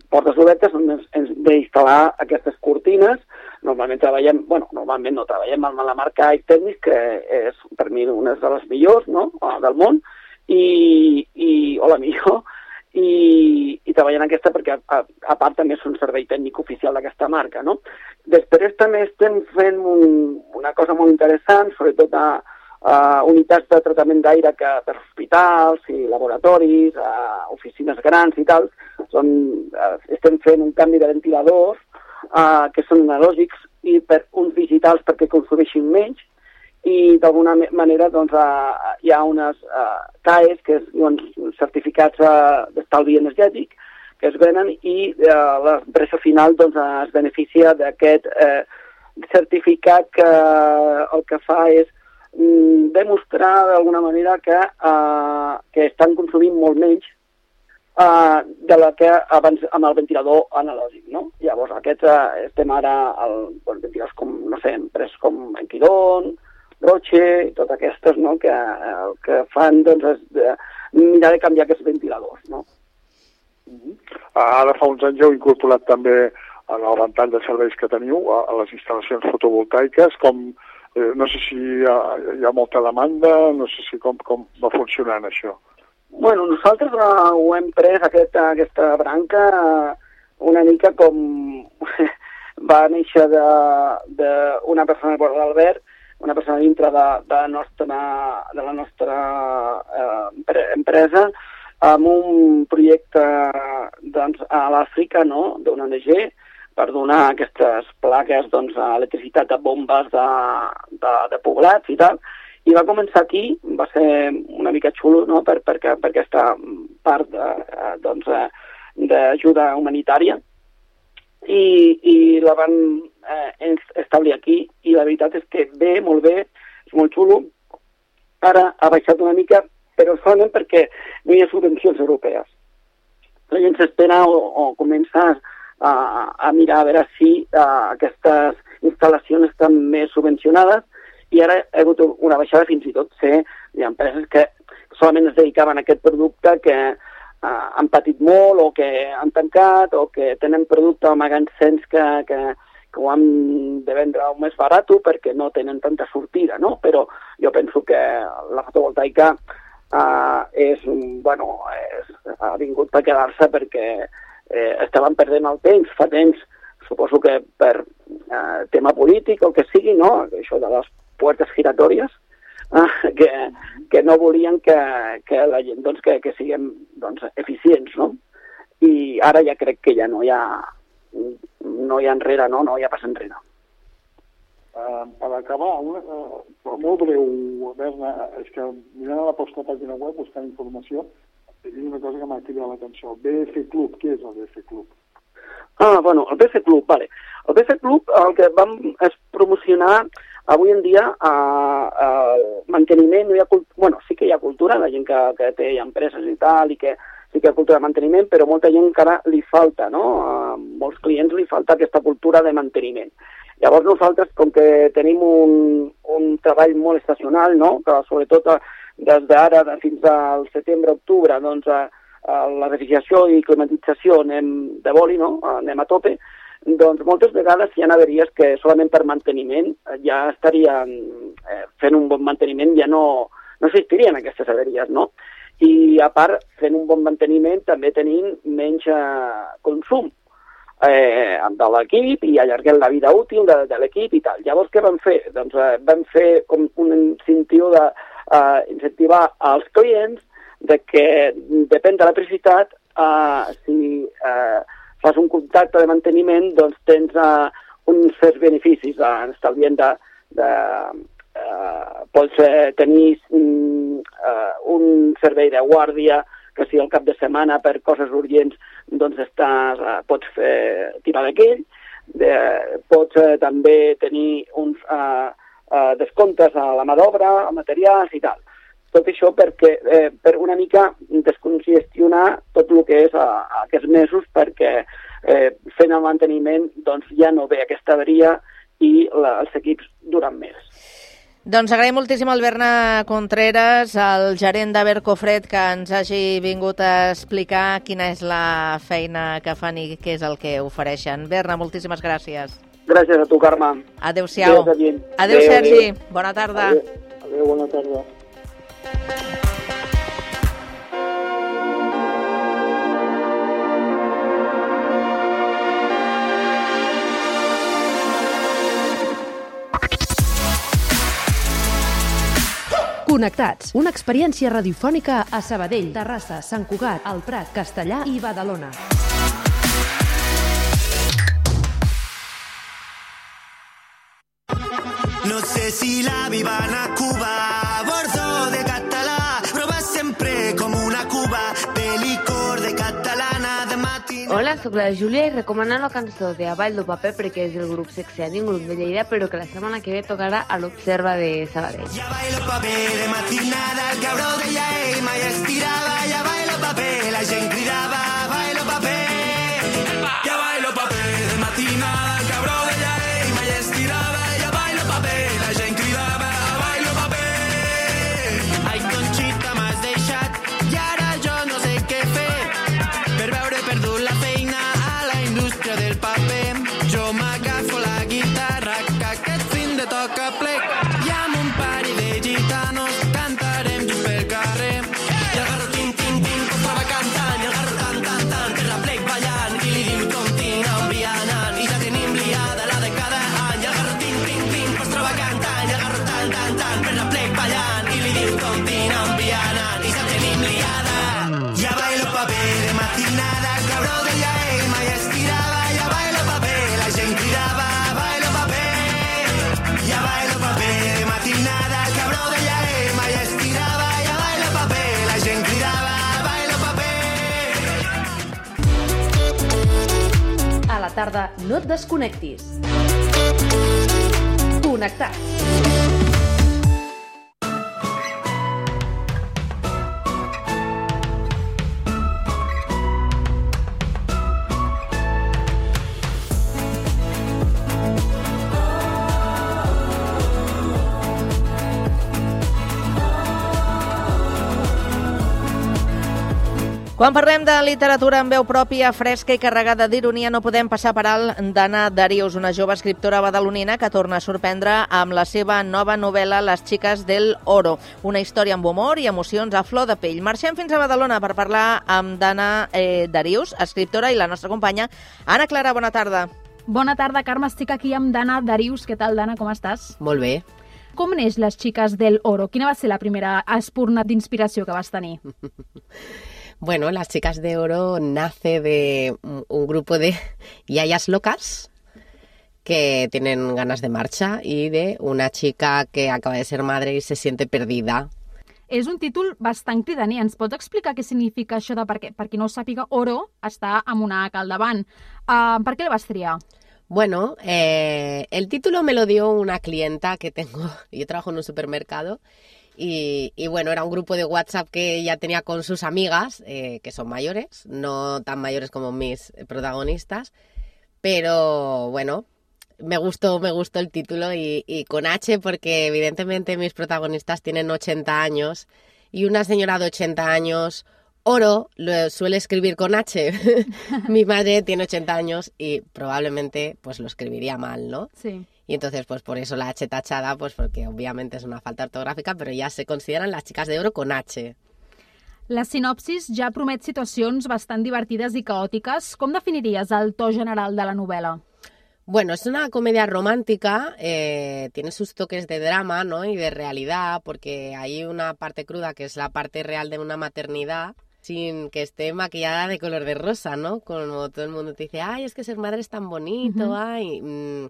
portes obertes on ens hem d'instal·lar aquestes cortines. Normalment treballem, bueno, normalment no treballem amb la marca iTechnics, que és per mi una de les millors, no?, del món, i, i o la millor, i, i treballant aquesta perquè a, a part també és un servei tècnic oficial d'aquesta marca, no? Després també estem fent un, una cosa molt interessant, sobretot a, a unitats de tractament d'aire que per hospitals i laboratoris, a oficines grans i tal, són, estem fent un canvi de ventiladors uh, que són analògics i per uns digitals perquè consumeixin menys, i d'alguna manera doncs, uh, hi ha unes uh, C A Es, que és doncs, certificats uh, d'estalvi energètic, que es venen i uh, l'empresa final doncs, uh, es beneficia d'aquest uh, certificat que uh, el que fa és um, demostrar d'alguna manera que, uh, que estan consumint molt menys uh, de la que abans amb el ventilador analògic, no? Llavors, aquests uh, estem ara al bueno, ventiladors com, no sé, empreses com Enquidón, Roche i totes aquestes, no?, que, eh, que fan, doncs, es, de, mirar de canviar aquests ventiladors, no? Uh-huh. Ara fa uns anys heu incorporat també en el ventall de serveis que teniu a, a les instal·lacions fotovoltaiques, com, eh, no sé si hi ha, hi ha molta demanda, no sé si com, com va funcionant això. Bueno, nosaltres uh, ho hem pres, aquesta, aquesta branca, uh, una mica com va néixer d'una persona, l'Albert, una persona dintre de, de, nostra, de la nostra eh, empresa, amb un projecte doncs, a l'Àfrica, no?, d'una O N G, per donar aquestes plaques doncs, a electricitat de bombes de, de, de poblats i tal. I va començar aquí, va ser una mica xulo, no?, per, per, per aquesta part de, doncs, d'ajuda humanitària. I, i la van eh, establir aquí, i la veritat és que bé, molt bé, és molt xulo. Ara ha baixat una mica, però solament perquè no hi ha subvencions europees. La gent s'espera o, o comença a, a mirar a veure si a, aquestes instal·lacions estan més subvencionades, i ara ha hagut una baixada, fins i tot ser hi ha empreses que solament es dedicaven a aquest producte que Uh, han patit molt o que han tancat o que tenen producte a magatzems que, que, que ho han de vendre més barat perquè no tenen tanta sortida, no? Però jo penso que la fotovoltaica uh, és, bueno, és, ha vingut per quedar-se perquè eh, estaven perdent el temps, fa temps, suposo que per uh, tema polític o que sigui, no? Això de les puertes giratòries, Que, que no volien que, que la gent doncs, que, que siguem doncs, eficients, no? I ara ja crec que ja no hi ha no hi ha enrere, no, no hi ha pas enrere. Uh, per acabar, una, uh, molt breu, Berna, és que mirant a la vostra pàgina web, buscant informació, hi ha una cosa que m'ha cridat l'atenció. B F Club, què és el B F Club? Ah, bueno, el B F Club, vale. El B F Club el que vam és promocionar avui en dia eh, el manteniment, no hi ha cultura, bueno, sí que hi ha cultura, la gent que, que té empreses i tal, i que sí que hi ha cultura de manteniment, però molta gent encara li falta, no? A molts clients li falta aquesta cultura de manteniment. Llavors nosaltres, com que tenim un, un treball molt estacional, no? Que sobretot des d'ara fins al setembre-octubre, doncs a, a la refrigeració i climatització anem de boli, no? Anem a tope, doncs moltes vegades hi ha averies que solament per manteniment ja estarien eh, fent un bon manteniment, ja no, no existirien aquestes averies, no? I a part, fent un bon manteniment també tenim menys eh, consum eh, de l'equip i allarguem la vida útil de, de l'equip i tal. Llavors, què vam fer? Doncs eh, vam fer com un incentiu de eh, incentivar als clients de que depèn de la preciositat, eh, si eh, fas un contracte de manteniment, doncs tens uh, uns certs beneficis, uh, estalvient de... de uh, pots uh, tenir um, uh, un servei de guàrdia, que si al cap de setmana per coses urgents doncs estàs, uh, pots fer tirar d'aquell, uh, pots uh, també tenir uns uh, uh, descomptes a la mà d'obra, a materials i tal. Tot això perquè, eh, per una mica descongestionar tot el que és a, a aquests mesos, perquè eh, fent el manteniment doncs, ja no ve aquesta averia i la, els equips duren més. Doncs agraïm moltíssim al Berna Contreras, el gerent de Bercofred, que ens hagi vingut a explicar quina és la feina que fan i què és el que ofereixen. Berna, moltíssimes gràcies. Gràcies a tu, Carme. Adéu-siau. Adéu, adéu, Sergi. Adéu. Bona tarda. Adéu, adéu bona tarda. Connectats, una experiència radiofònica a Sabadell, Terrassa, Sant Cugat, el Prat, Castellà i Badalona. No sé si la vivan a Cuba, a bordo de català, però va sempre com una cuba de licor de catalana de matina. Hola, sóc la Júlia i recomano la cançó de A Ball do Paper perquè és del grup Sexeni, un grup de Lleida, però que la setmana que ve tocarà a l'Observa de Sabadell. Ja bailo paper de matinada, el cabró de ell mai estirava, ja bailo paper, la gent cridava, bailo paper. Ja bailo paper de matinada, el cabró de ell mai estirava, ja bailo paper, la gent cridava, bailo paper. Ai, Conxita, m'has deixat i ara jo no sé què fer per veure perdut la feina a la indústria del paper. Jo m'agafo la guitarra que aquest fin de toca plec i amb un pari de gitanos cantarem just pel carrer. I agarro tin, tin, tin, que estava cantant, i agarro tan, tan, tan, per la plec ballant, i li diu continua envianant, i ja tenim liada la de cada any. I agarro tin, tin, tin, que estava cantant, i agarro tan, tan, tan, per la plec ballant, i li diu continua envianant, i ja tenim liada. Ja bailo paper de matinada, el cabró de ell mai estirava, ja bailo paper, la gent cridava, bailo paper. Ja bailo paper de matinada, el cabró de ell mai estirava, ja bailo paper, la gent cridava, bailo paper. A la tarda no et desconnectis. Connectats. Quan parlem de literatura amb veu pròpia, fresca i carregada d'ironia, no podem passar per alt d'Anna Darius, una jove escriptora badalonina que torna a sorprendre amb la seva nova novel·la Les xiques del oro, una història amb humor i emocions a flor de pell. Marxem fins a Badalona per parlar amb Anna eh, Darius, escriptora, i la nostra companya Anna Clara. Bona tarda. Bona tarda, Carme. Estic aquí amb Anna Darius. Què tal, Anna? Com estàs? Molt bé. Com neix Les xiques del oro? Quina va ser la primera espurna d'inspiració que vas tenir? Bueno, Las chicas de oro nace de un grupo de yayas locas que tienen ganas de marcha y de una chica que acaba de ser madre y se siente perdida. És un títol bastant cridaner. Ens pots explicar què significa això de, perquè, per qui no ho sàpiga, oro està amb una haca al davant. Uh, per què el vas triar? Bueno, eh, el título me lo dio una clienta que tengo, yo trabajo en un supermercado y, y bueno, era un grupo de WhatsApp que ella tenía con sus amigas, eh, que son mayores, no tan mayores como mis protagonistas, pero bueno, me gustó, me gustó el título y, y con H porque evidentemente mis protagonistas tienen ochenta años y una señora de ochenta años... Oro lo suele escribir con H. Mi madre tiene ochenta años y probablemente pues lo escribiría mal, ¿no? Sí. Y entonces pues por eso la H tachada, pues porque obviamente es una falta ortográfica, pero ya se consideran las chicas de oro con H. La sinopsis ja promet situacions bastant divertides i caòtiques. Com definiries el to general de la novel·la? Bueno, es una comedia romántica, eh, tiene sus toques de drama, ¿no? Y de realidad, porque hay una parte cruda que es la parte real de una maternidad, sin que esté maquillada de color de rosa, ¿no? Como todo el mundo te dice, ay, es que ser madre es tan bonito, uh-huh. ay... Mmm,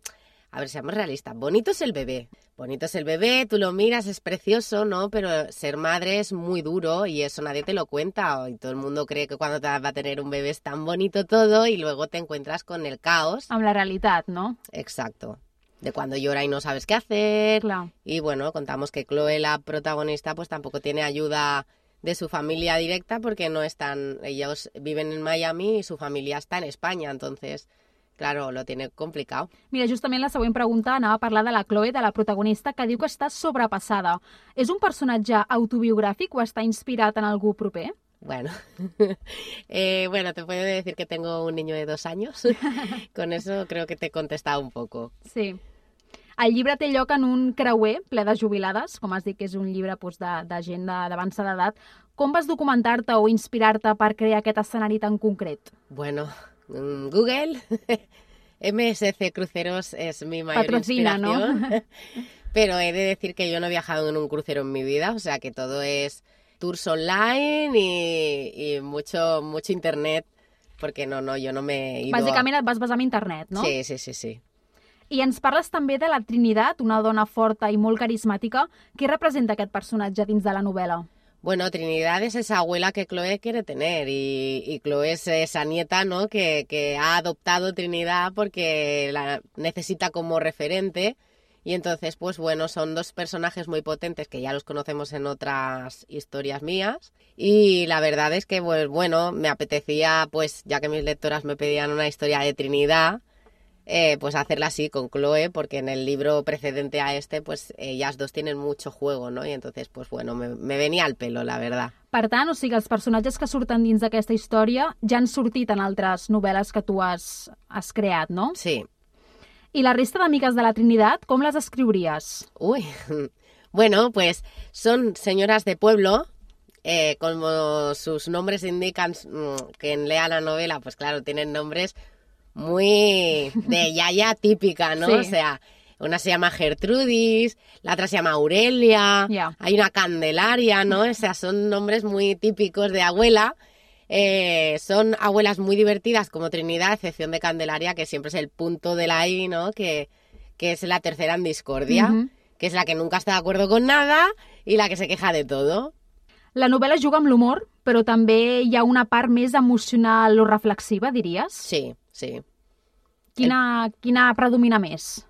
a ver, seamos realistas, bonito es el bebé, bonito es el bebé, tú lo miras, es precioso, ¿no? Pero ser madre es muy duro y eso nadie te lo cuenta, y todo el mundo cree que cuando te va a tener un bebé es tan bonito todo y luego te encuentras con el caos. Amb la realitat, ¿no? Exacto. De cuando llora y no sabes qué hacer. Claro. Y bueno, contamos que Chloe, la protagonista, pues tampoco tiene ayuda de su familia directa porque no están, ellos viven en Miami y su familia está en España, entonces... Claro, lo tiene complicado. Mira, justament la següent pregunta anava a parlar de la Chloe, de la protagonista, que diu que està sobrepassada. És un personatge autobiogràfic o està inspirat en algú proper? Bueno, eh, bueno, te puedo decir que tengo un niño de dos años. Con eso creo que te he contestado un poco. Sí. El llibre té lloc en un creuer ple de jubilades, com has dit que és un llibre doncs, de, de gent d'avançada edat. Com vas documentar-te o inspirar-te per crear aquest escenari tan concret? Bueno... Google, M S C Cruceros es mi mayor Patrocina, inspiración, ¿no? Pero he de decir que yo no he viajado en un crucero en mi vida, o sea que todo es tours online y, y mucho mucho internet, porque no, no, yo no me he ido... Bàsicament et vas basar en internet, no? Sí, sí, sí, sí. I ens parles també de la Trinitat, una dona forta i molt carismàtica. Què representa aquest personatge dins de la novel·la? Bueno, Trinidad es esa abuela que Chloe quiere tener y, y Chloe es esa nieta, ¿no? que, que ha adoptado Trinidad porque la necesita como referente y entonces, pues bueno, son dos personajes muy potentes que ya los conocemos en otras historias mías y la verdad es que, pues bueno, me apetecía, pues ya que mis lectoras me pedían una historia de Trinidad, Eh, pues hacerla así con Chloe, porque en el libro precedente a este, pues ellas dos tienen mucho juego, ¿no? Y entonces, pues bueno, me, me venía al pelo, la verdad. Per tant, o sigui, els personatges que surten dins d'aquesta història ja han sortit en altres novel·les que tu has, has creat, no? Sí. I la resta d'amigues de la Trinitat, com les escriuries? Uy, bueno, pues son señoras de pueblo, eh, como sus nombres indican, quien lea la novela, pues claro, tienen nombres muy de yaya típica, ¿no? Sí. O sea, una se llama Gertrudis, la otra se llama Aurelia, yeah. Hay una Candelaria, ¿no? O sea, son nombres muy típicos de abuela. Eh, son abuelas muy divertidas como Trinidad, a excepción de Candelaria, que siempre es el punto de la I, ¿no? Que, que es la tercera en discordia, uh-huh. que es la que nunca está de acuerdo con nada y la que se queja de todo. La novel·la juga amb l'humor, però també hi ha una part més emocional o reflexiva, diries? Sí, sí. Quina, El... quina predomina més?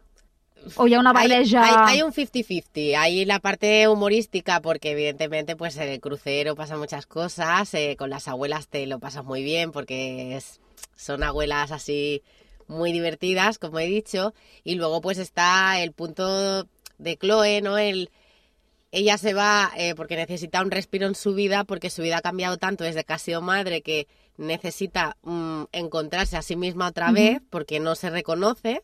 ¿O ya una barreja? Hay, hay, hay un cincuenta cincuenta. Hay la parte humorística porque evidentemente pues en el crucero pasan muchas cosas. Eh, con las abuelas te lo pasas muy bien porque es, son abuelas así muy divertidas, como he dicho. Y luego pues está el punto de Chloe, ¿no? El, ella se va eh, porque necesita un respiro en su vida, porque su vida ha cambiado tanto desde que ha sido madre que necesita um, encontrarse a sí misma otra uh-huh. vez porque no se reconoce.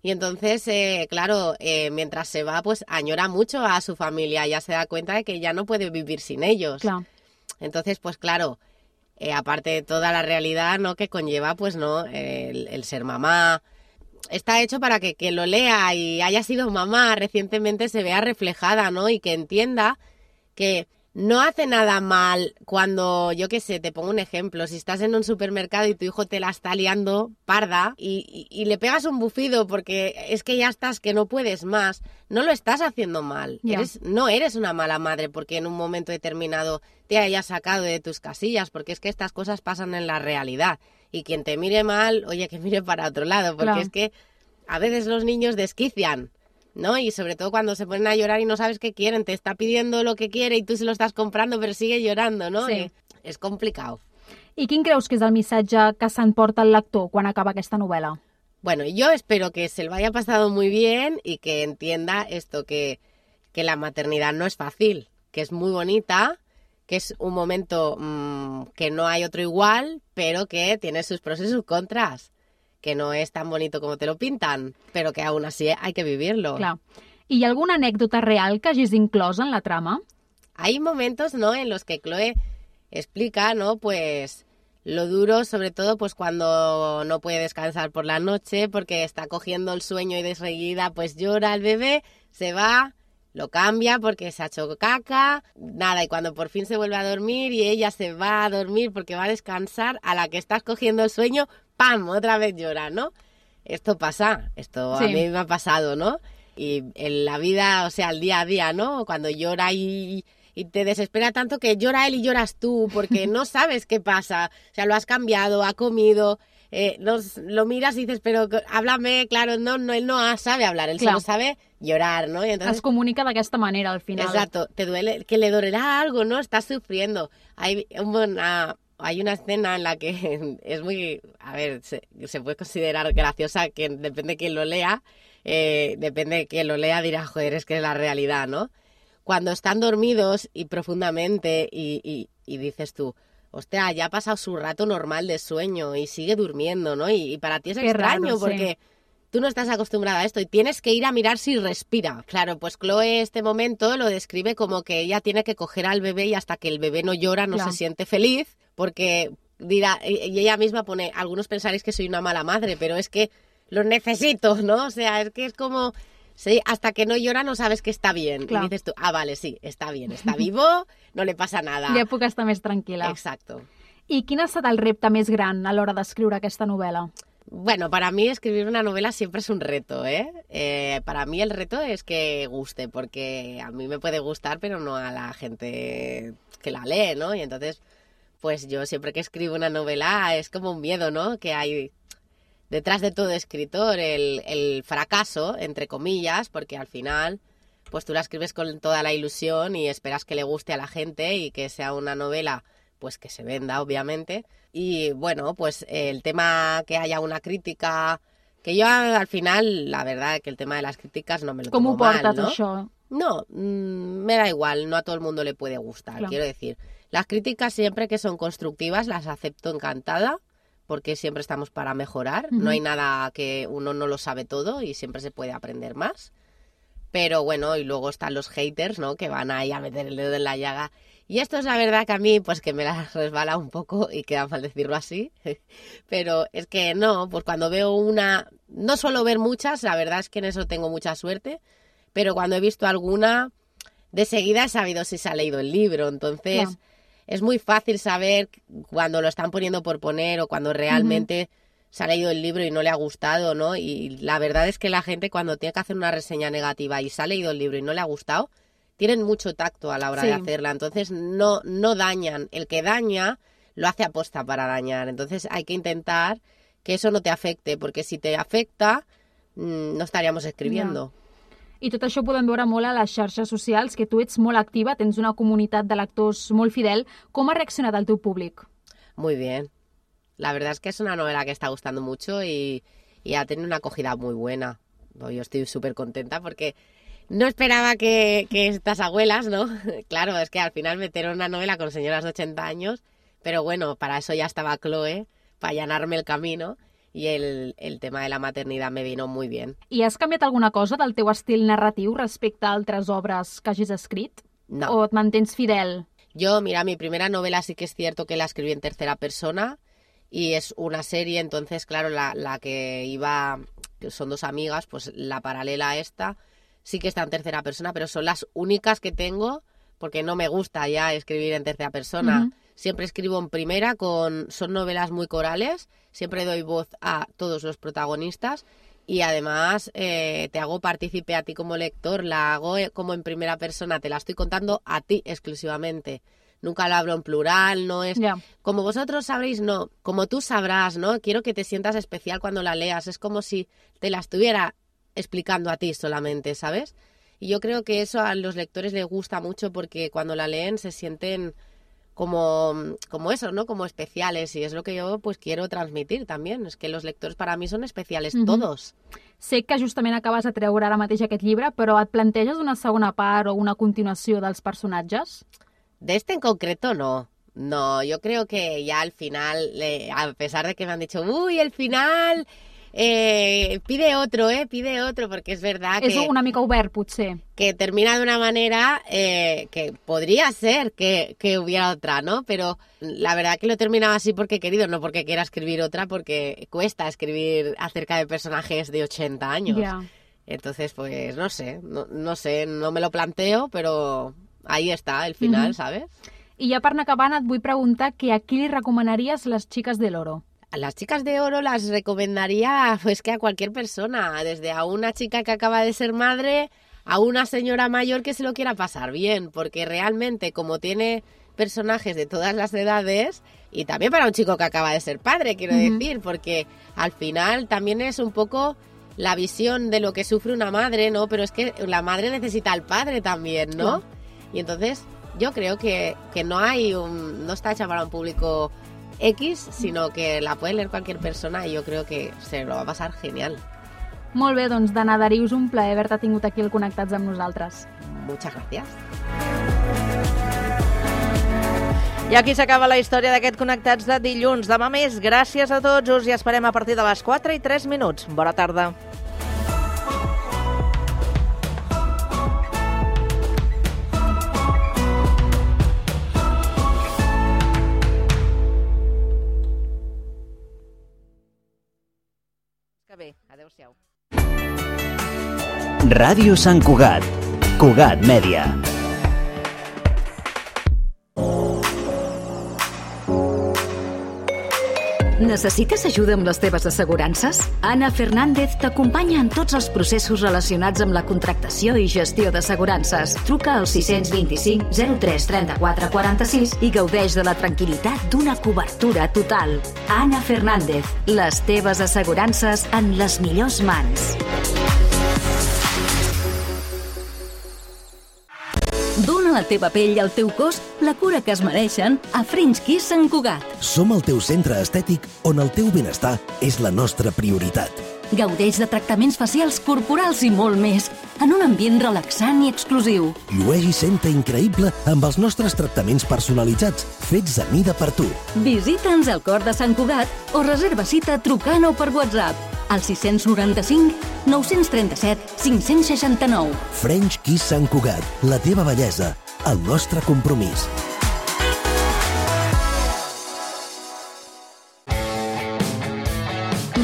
Y entonces, eh, claro, eh, mientras se va, pues añora mucho a su familia. Ya se da cuenta de que ya no puede vivir sin ellos. Claro. Entonces, pues claro, eh, aparte de toda la realidad, ¿no? Que conlleva, pues no, el, el ser mamá. Está hecho para que quien lo lea y haya sido mamá recientemente se vea reflejada, ¿no? Y que entienda que no hace nada mal cuando, yo qué sé, te pongo un ejemplo, si estás en un supermercado y tu hijo te la está liando parda y, y, y le pegas un bufido porque es que ya estás, que no puedes más, no lo estás haciendo mal. Ya. Eres, no eres una mala madre porque en un momento determinado te hayas sacado de tus casillas, porque es que estas cosas pasan en la realidad. Y quien te mire mal, oye, que mire para otro lado, porque Claro. es que a veces los niños desquician, ¿no? Y sobre todo cuando se ponen a llorar y no sabes qué quieren, te está pidiendo lo que quiere y tú se lo estás comprando, pero sigue llorando, ¿no? Sí. Eh, es complicado. I quin creus que és el missatge que s'emporta el lector quan acaba aquesta novel·la? Bueno, yo espero que se lo haya pasado muy bien y que entienda esto, que, que la maternidad no es fácil, que es muy bonita, que es un momento mmm, que no hay otro igual, pero que tiene sus pros y sus contras, que no es tan bonito como te lo pintan, pero que aún así hay que vivirlo. Clar. I hi ha alguna anècdota real que hagis inclòs en la trama? Hay momentos, ¿no?, en los que Chloe explica, ¿no?, pues lo duro, sobre todo, pues cuando no puede descansar por la noche porque está cogiendo el sueño y de seguida pues llora el bebé, se va, lo cambia porque se ha hecho caca, nada, y cuando por fin se vuelve a dormir y ella se va a dormir porque va a descansar, a la que estás cogiendo el sueño, ¡pam!, otra vez llora, ¿no? Esto pasa, esto Sí. a mí me ha pasado, ¿no? Y en la vida, o sea, el día a día, ¿no? Cuando llora y, y te desespera tanto que llora él y lloras tú porque no sabes qué pasa. O sea, lo has cambiado, ha comido, eh, nos, lo miras y dices, pero háblame, claro, no, no, él no sabe hablar, él Clar. solo sabe llorar, ¿no? Y entonces, Es comunica d'aquesta manera, al final. exacto, te duele, que le dolerá algo, ¿no? Estás sufriendo. Hay una, hay una escena en la que es muy, a ver, se, se puede considerar graciosa, que depende de quién lo lea, eh, depende de quién lo lea, dirá, joder, es que es la realidad, ¿no? Cuando están dormidos y profundamente y, y, y dices tú, hostia, ya ha pasado su rato normal de sueño y sigue durmiendo, ¿no? Y, y para ti es Qué extraño raro, sí. porque tú no estás acostumbrada a esto y tienes que ir a mirar si respira. Claro, pues Chloe este momento lo describe como que ella tiene que coger al bebé y hasta que el bebé no llora no Claro. se siente feliz porque dirá, y ella misma pone, algunos pensaréis que soy una mala madre, pero es que los necesito, ¿no? O sea, es que es como, sí, hasta que no llora no sabes que está bien. Clar. Y dices tú, ah, vale, sí, está bien, está vivo, no le pasa nada. Ja puc estar més tranquil·la. Exacto. I quin ha estat el repte més gran a l'hora d'escriure aquesta novel·la? Bueno, para mí escribir una novela siempre es un reto, ¿eh? Eh, Para mí el reto es que guste, porque a mí me puede gustar, pero no a la gente que la lee, ¿no? Y entonces, pues yo siempre que escribo una novela es como un miedo, ¿no? Que hay detrás de todo escritor, el, el fracaso, entre comillas, porque al final, pues tú la escribes con toda la ilusión y esperas que le guste a la gente y que sea una novela, pues que se venda, obviamente. Y bueno, pues el tema que haya una crítica, que yo al final, la verdad, que el tema de las críticas no me lo Com tomo ho portes, mal, ¿no? això? No, mm, me da igual, no a todo el mundo le puede gustar, Claro. quiero decir. Las críticas siempre que son constructivas las acepto encantada, porque siempre estamos para mejorar. Ujú. No hay nada que uno no lo sabe todo y siempre se puede aprender más. Pero bueno, y luego están los haters, ¿no? Que van ahí a meter el dedo en la llaga. Y esto es la verdad que a mí, pues que me la resbala un poco y queda mal decirlo así. Pero es que no, pues cuando veo una... No suelo ver muchas, la verdad es que en eso tengo mucha suerte. Pero cuando he visto alguna, de seguida he sabido si se ha leído el libro. Entonces, Claro. es muy fácil saber cuando lo están poniendo por poner o cuando realmente se ha leído el libro y no le ha gustado, ¿no? Y la verdad es que la gente cuando tiene que hacer una reseña negativa y se ha leído el libro y no le ha gustado, tienen mucho tacto a la hora Sí. de hacerla. Entonces, no, no dañan. El que daña lo hace aposta para dañar. Entonces, hay que intentar que eso no te afecte, porque si te afecta, mm, no estaríamos escribiendo. I tot això ho podem veure molt a les xarxes socials, que tu ets molt activa, tens una comunitat de lectors molt fidel. Com ha reaccionat el teu públic? Muy bien. La verdad es que es una novela que está gustando mucho y, y ha tenido una acogida muy buena. Yo estoy súper contenta porque no esperaba que, que estas abuelas, ¿no? Claro, es que al final metieron una novela con señoras de ochenta años, pero bueno, para eso ya estaba Chloe, para allanarme el camino, y el, el tema de la maternidad me vino muy bien. I has canviat alguna cosa del teu estil narratiu respecte a altres obres que hagis escrit? No. O et mantens fidel? Yo, mira, mi primera novela sí que es cierto que la escribí en tercera persona y es una serie, entonces, claro, la, la que iba, que son dos amigas, pues la paralela a esta sí que está en tercera persona, pero son las únicas que tengo porque no me gusta ya escribir en tercera persona. Uh-huh. Siempre escribo en primera, con son novelas muy corales, siempre doy voz a todos los protagonistas y además eh, te hago partícipe a ti como lector, la hago como en primera persona, te la estoy contando a ti exclusivamente. Nunca lo hablo en plural, no es... Yeah. Como vosotros sabréis, no. Como tú sabrás, ¿no? Quiero que te sientas especial cuando la leas. Es como si te la estuviera explicando a ti solamente, ¿sabes? Y yo creo que eso a los lectores les gusta mucho porque cuando la leen se sienten como, como eso, ¿no? Como especiales. Y es lo que yo pues quiero transmitir también. És que los lectors per a mi són especiales, mm-hmm. todos. Sé que justament acabes de treure ara mateix aquest llibre, però et planteges una segona part o una continuació dels personatges? De este en concreto no. No, yo creo que ya al final, eh, a pesar de que me han dicho, uy, el final... Eh, pide otro, eh, pide otro, porque es verdad és que... És una mica obert, potser. Que termina de una manera eh, que podría ser que, que hubiera otra, ¿no? Pero la verdad que lo he terminado así porque he querido, no porque quiera escribir otra, porque cuesta escribir acerca de personajes de ochenta años. Yeah. Entonces, pues, no sé, no, no sé, no me lo planteo, pero ahí está el final, mm-hmm. ¿sabes? I ja per anar acabant et vull preguntar que a qui li recomanaries Les Chicas del Oro? A las chicas de oro las recomendaría pues que a cualquier persona, desde a una chica que acaba de ser madre a una señora mayor que se lo quiera pasar bien, porque realmente como tiene personajes de todas las edades, y también para un chico que acaba de ser padre, quiero uh-huh. decir, porque al final también es un poco la visión de lo que sufre una madre, ¿no? Pero es que la madre necesita al padre también, ¿no? Uh-huh. Y entonces yo creo que, que no hay un, no está hecha para un público X, sino que la puede leer cualquier persona y yo creo que se lo va a pasar genial. Molt bé, doncs, Dana Darius, un plaer haver-te tingut aquí al Connectats amb nosaltres. Muchas gracias. I aquí s'acaba la història d'aquest Connectats de dilluns. Demà més, gràcies a tots, us hi esperem a partir de les quatre i tres minuts. Bona tarda. Bé, adéu-siau. Ràdio Sant Cugat, Cugat Mèdia. Necessites ajuda amb les teves assegurances? Ana Fernández t'acompanya en tots els processos relacionats amb la contractació i gestió d'assegurances. Truca al sis dos cinc zero tres trenta-quatre quaranta-sis i gaudeix de la tranquil·litat d'una cobertura total. Ana Fernández, les teves assegurances en les millors mans. Dóna a la teva pell i al teu cos la cura que es mereixen a French Kiss Sant Cugat. Som el teu centre estètic on el teu benestar és la nostra prioritat. Gaudeix de tractaments facials, corporals i molt més, en un ambient relaxant i exclusiu. Llueix i senta increïble amb els nostres tractaments personalitzats, fets a mida per tu. Visita'ns al cor de Sant Cugat o reserva cita trucant o per WhatsApp al sis noranta-cinc nou trenta-set cinc seixanta-nou. French Kiss Sant Cugat, la teva bellesa, el nostre compromís.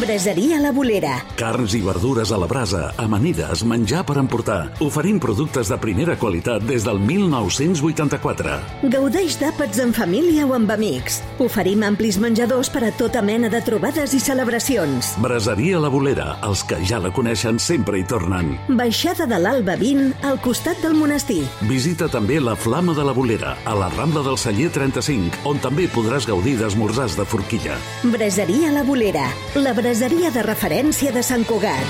Braseria La Bolera. Carns i verdures a la brasa, amanides, menjar per emportar. Oferim productes de primera qualitat des del mil nou-cents vuitanta-quatre. Gaudeix d'àpats en família o amb amics. Oferim amplis menjadors per a tota mena de trobades i celebracions. Braseria La Bolera. Els que ja la coneixen sempre hi tornen. Baixada de l'Alba vint, al costat del monestir. Visita també la Flama de la Bolera, a la Rambla del Celler trenta-cinc, on també podràs gaudir d'esmorzars de forquilla. Braseria La Bolera. La braseria de referència de Sant Cugat.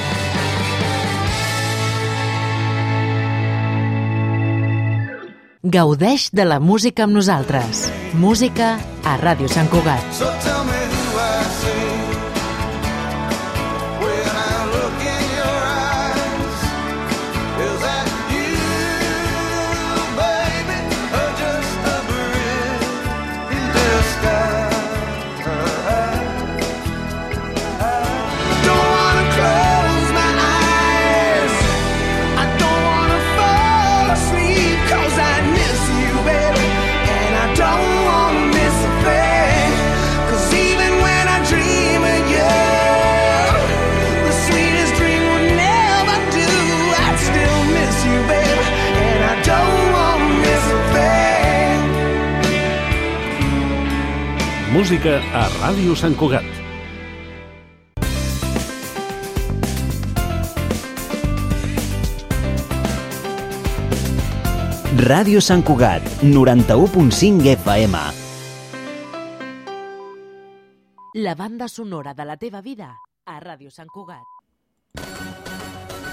Gaudeix de la música amb nosaltres. Música a Ràdio Sant Cugat. So tell me who I see when I look in your eyes. Is that you, baby, or just a breath in disguise? Cause música a Ràdio Sant Cugat. Ràdio Sant Cugat, noranta-u punt cinc F M. La banda sonora de la teva vida a Ràdio Sant Cugat.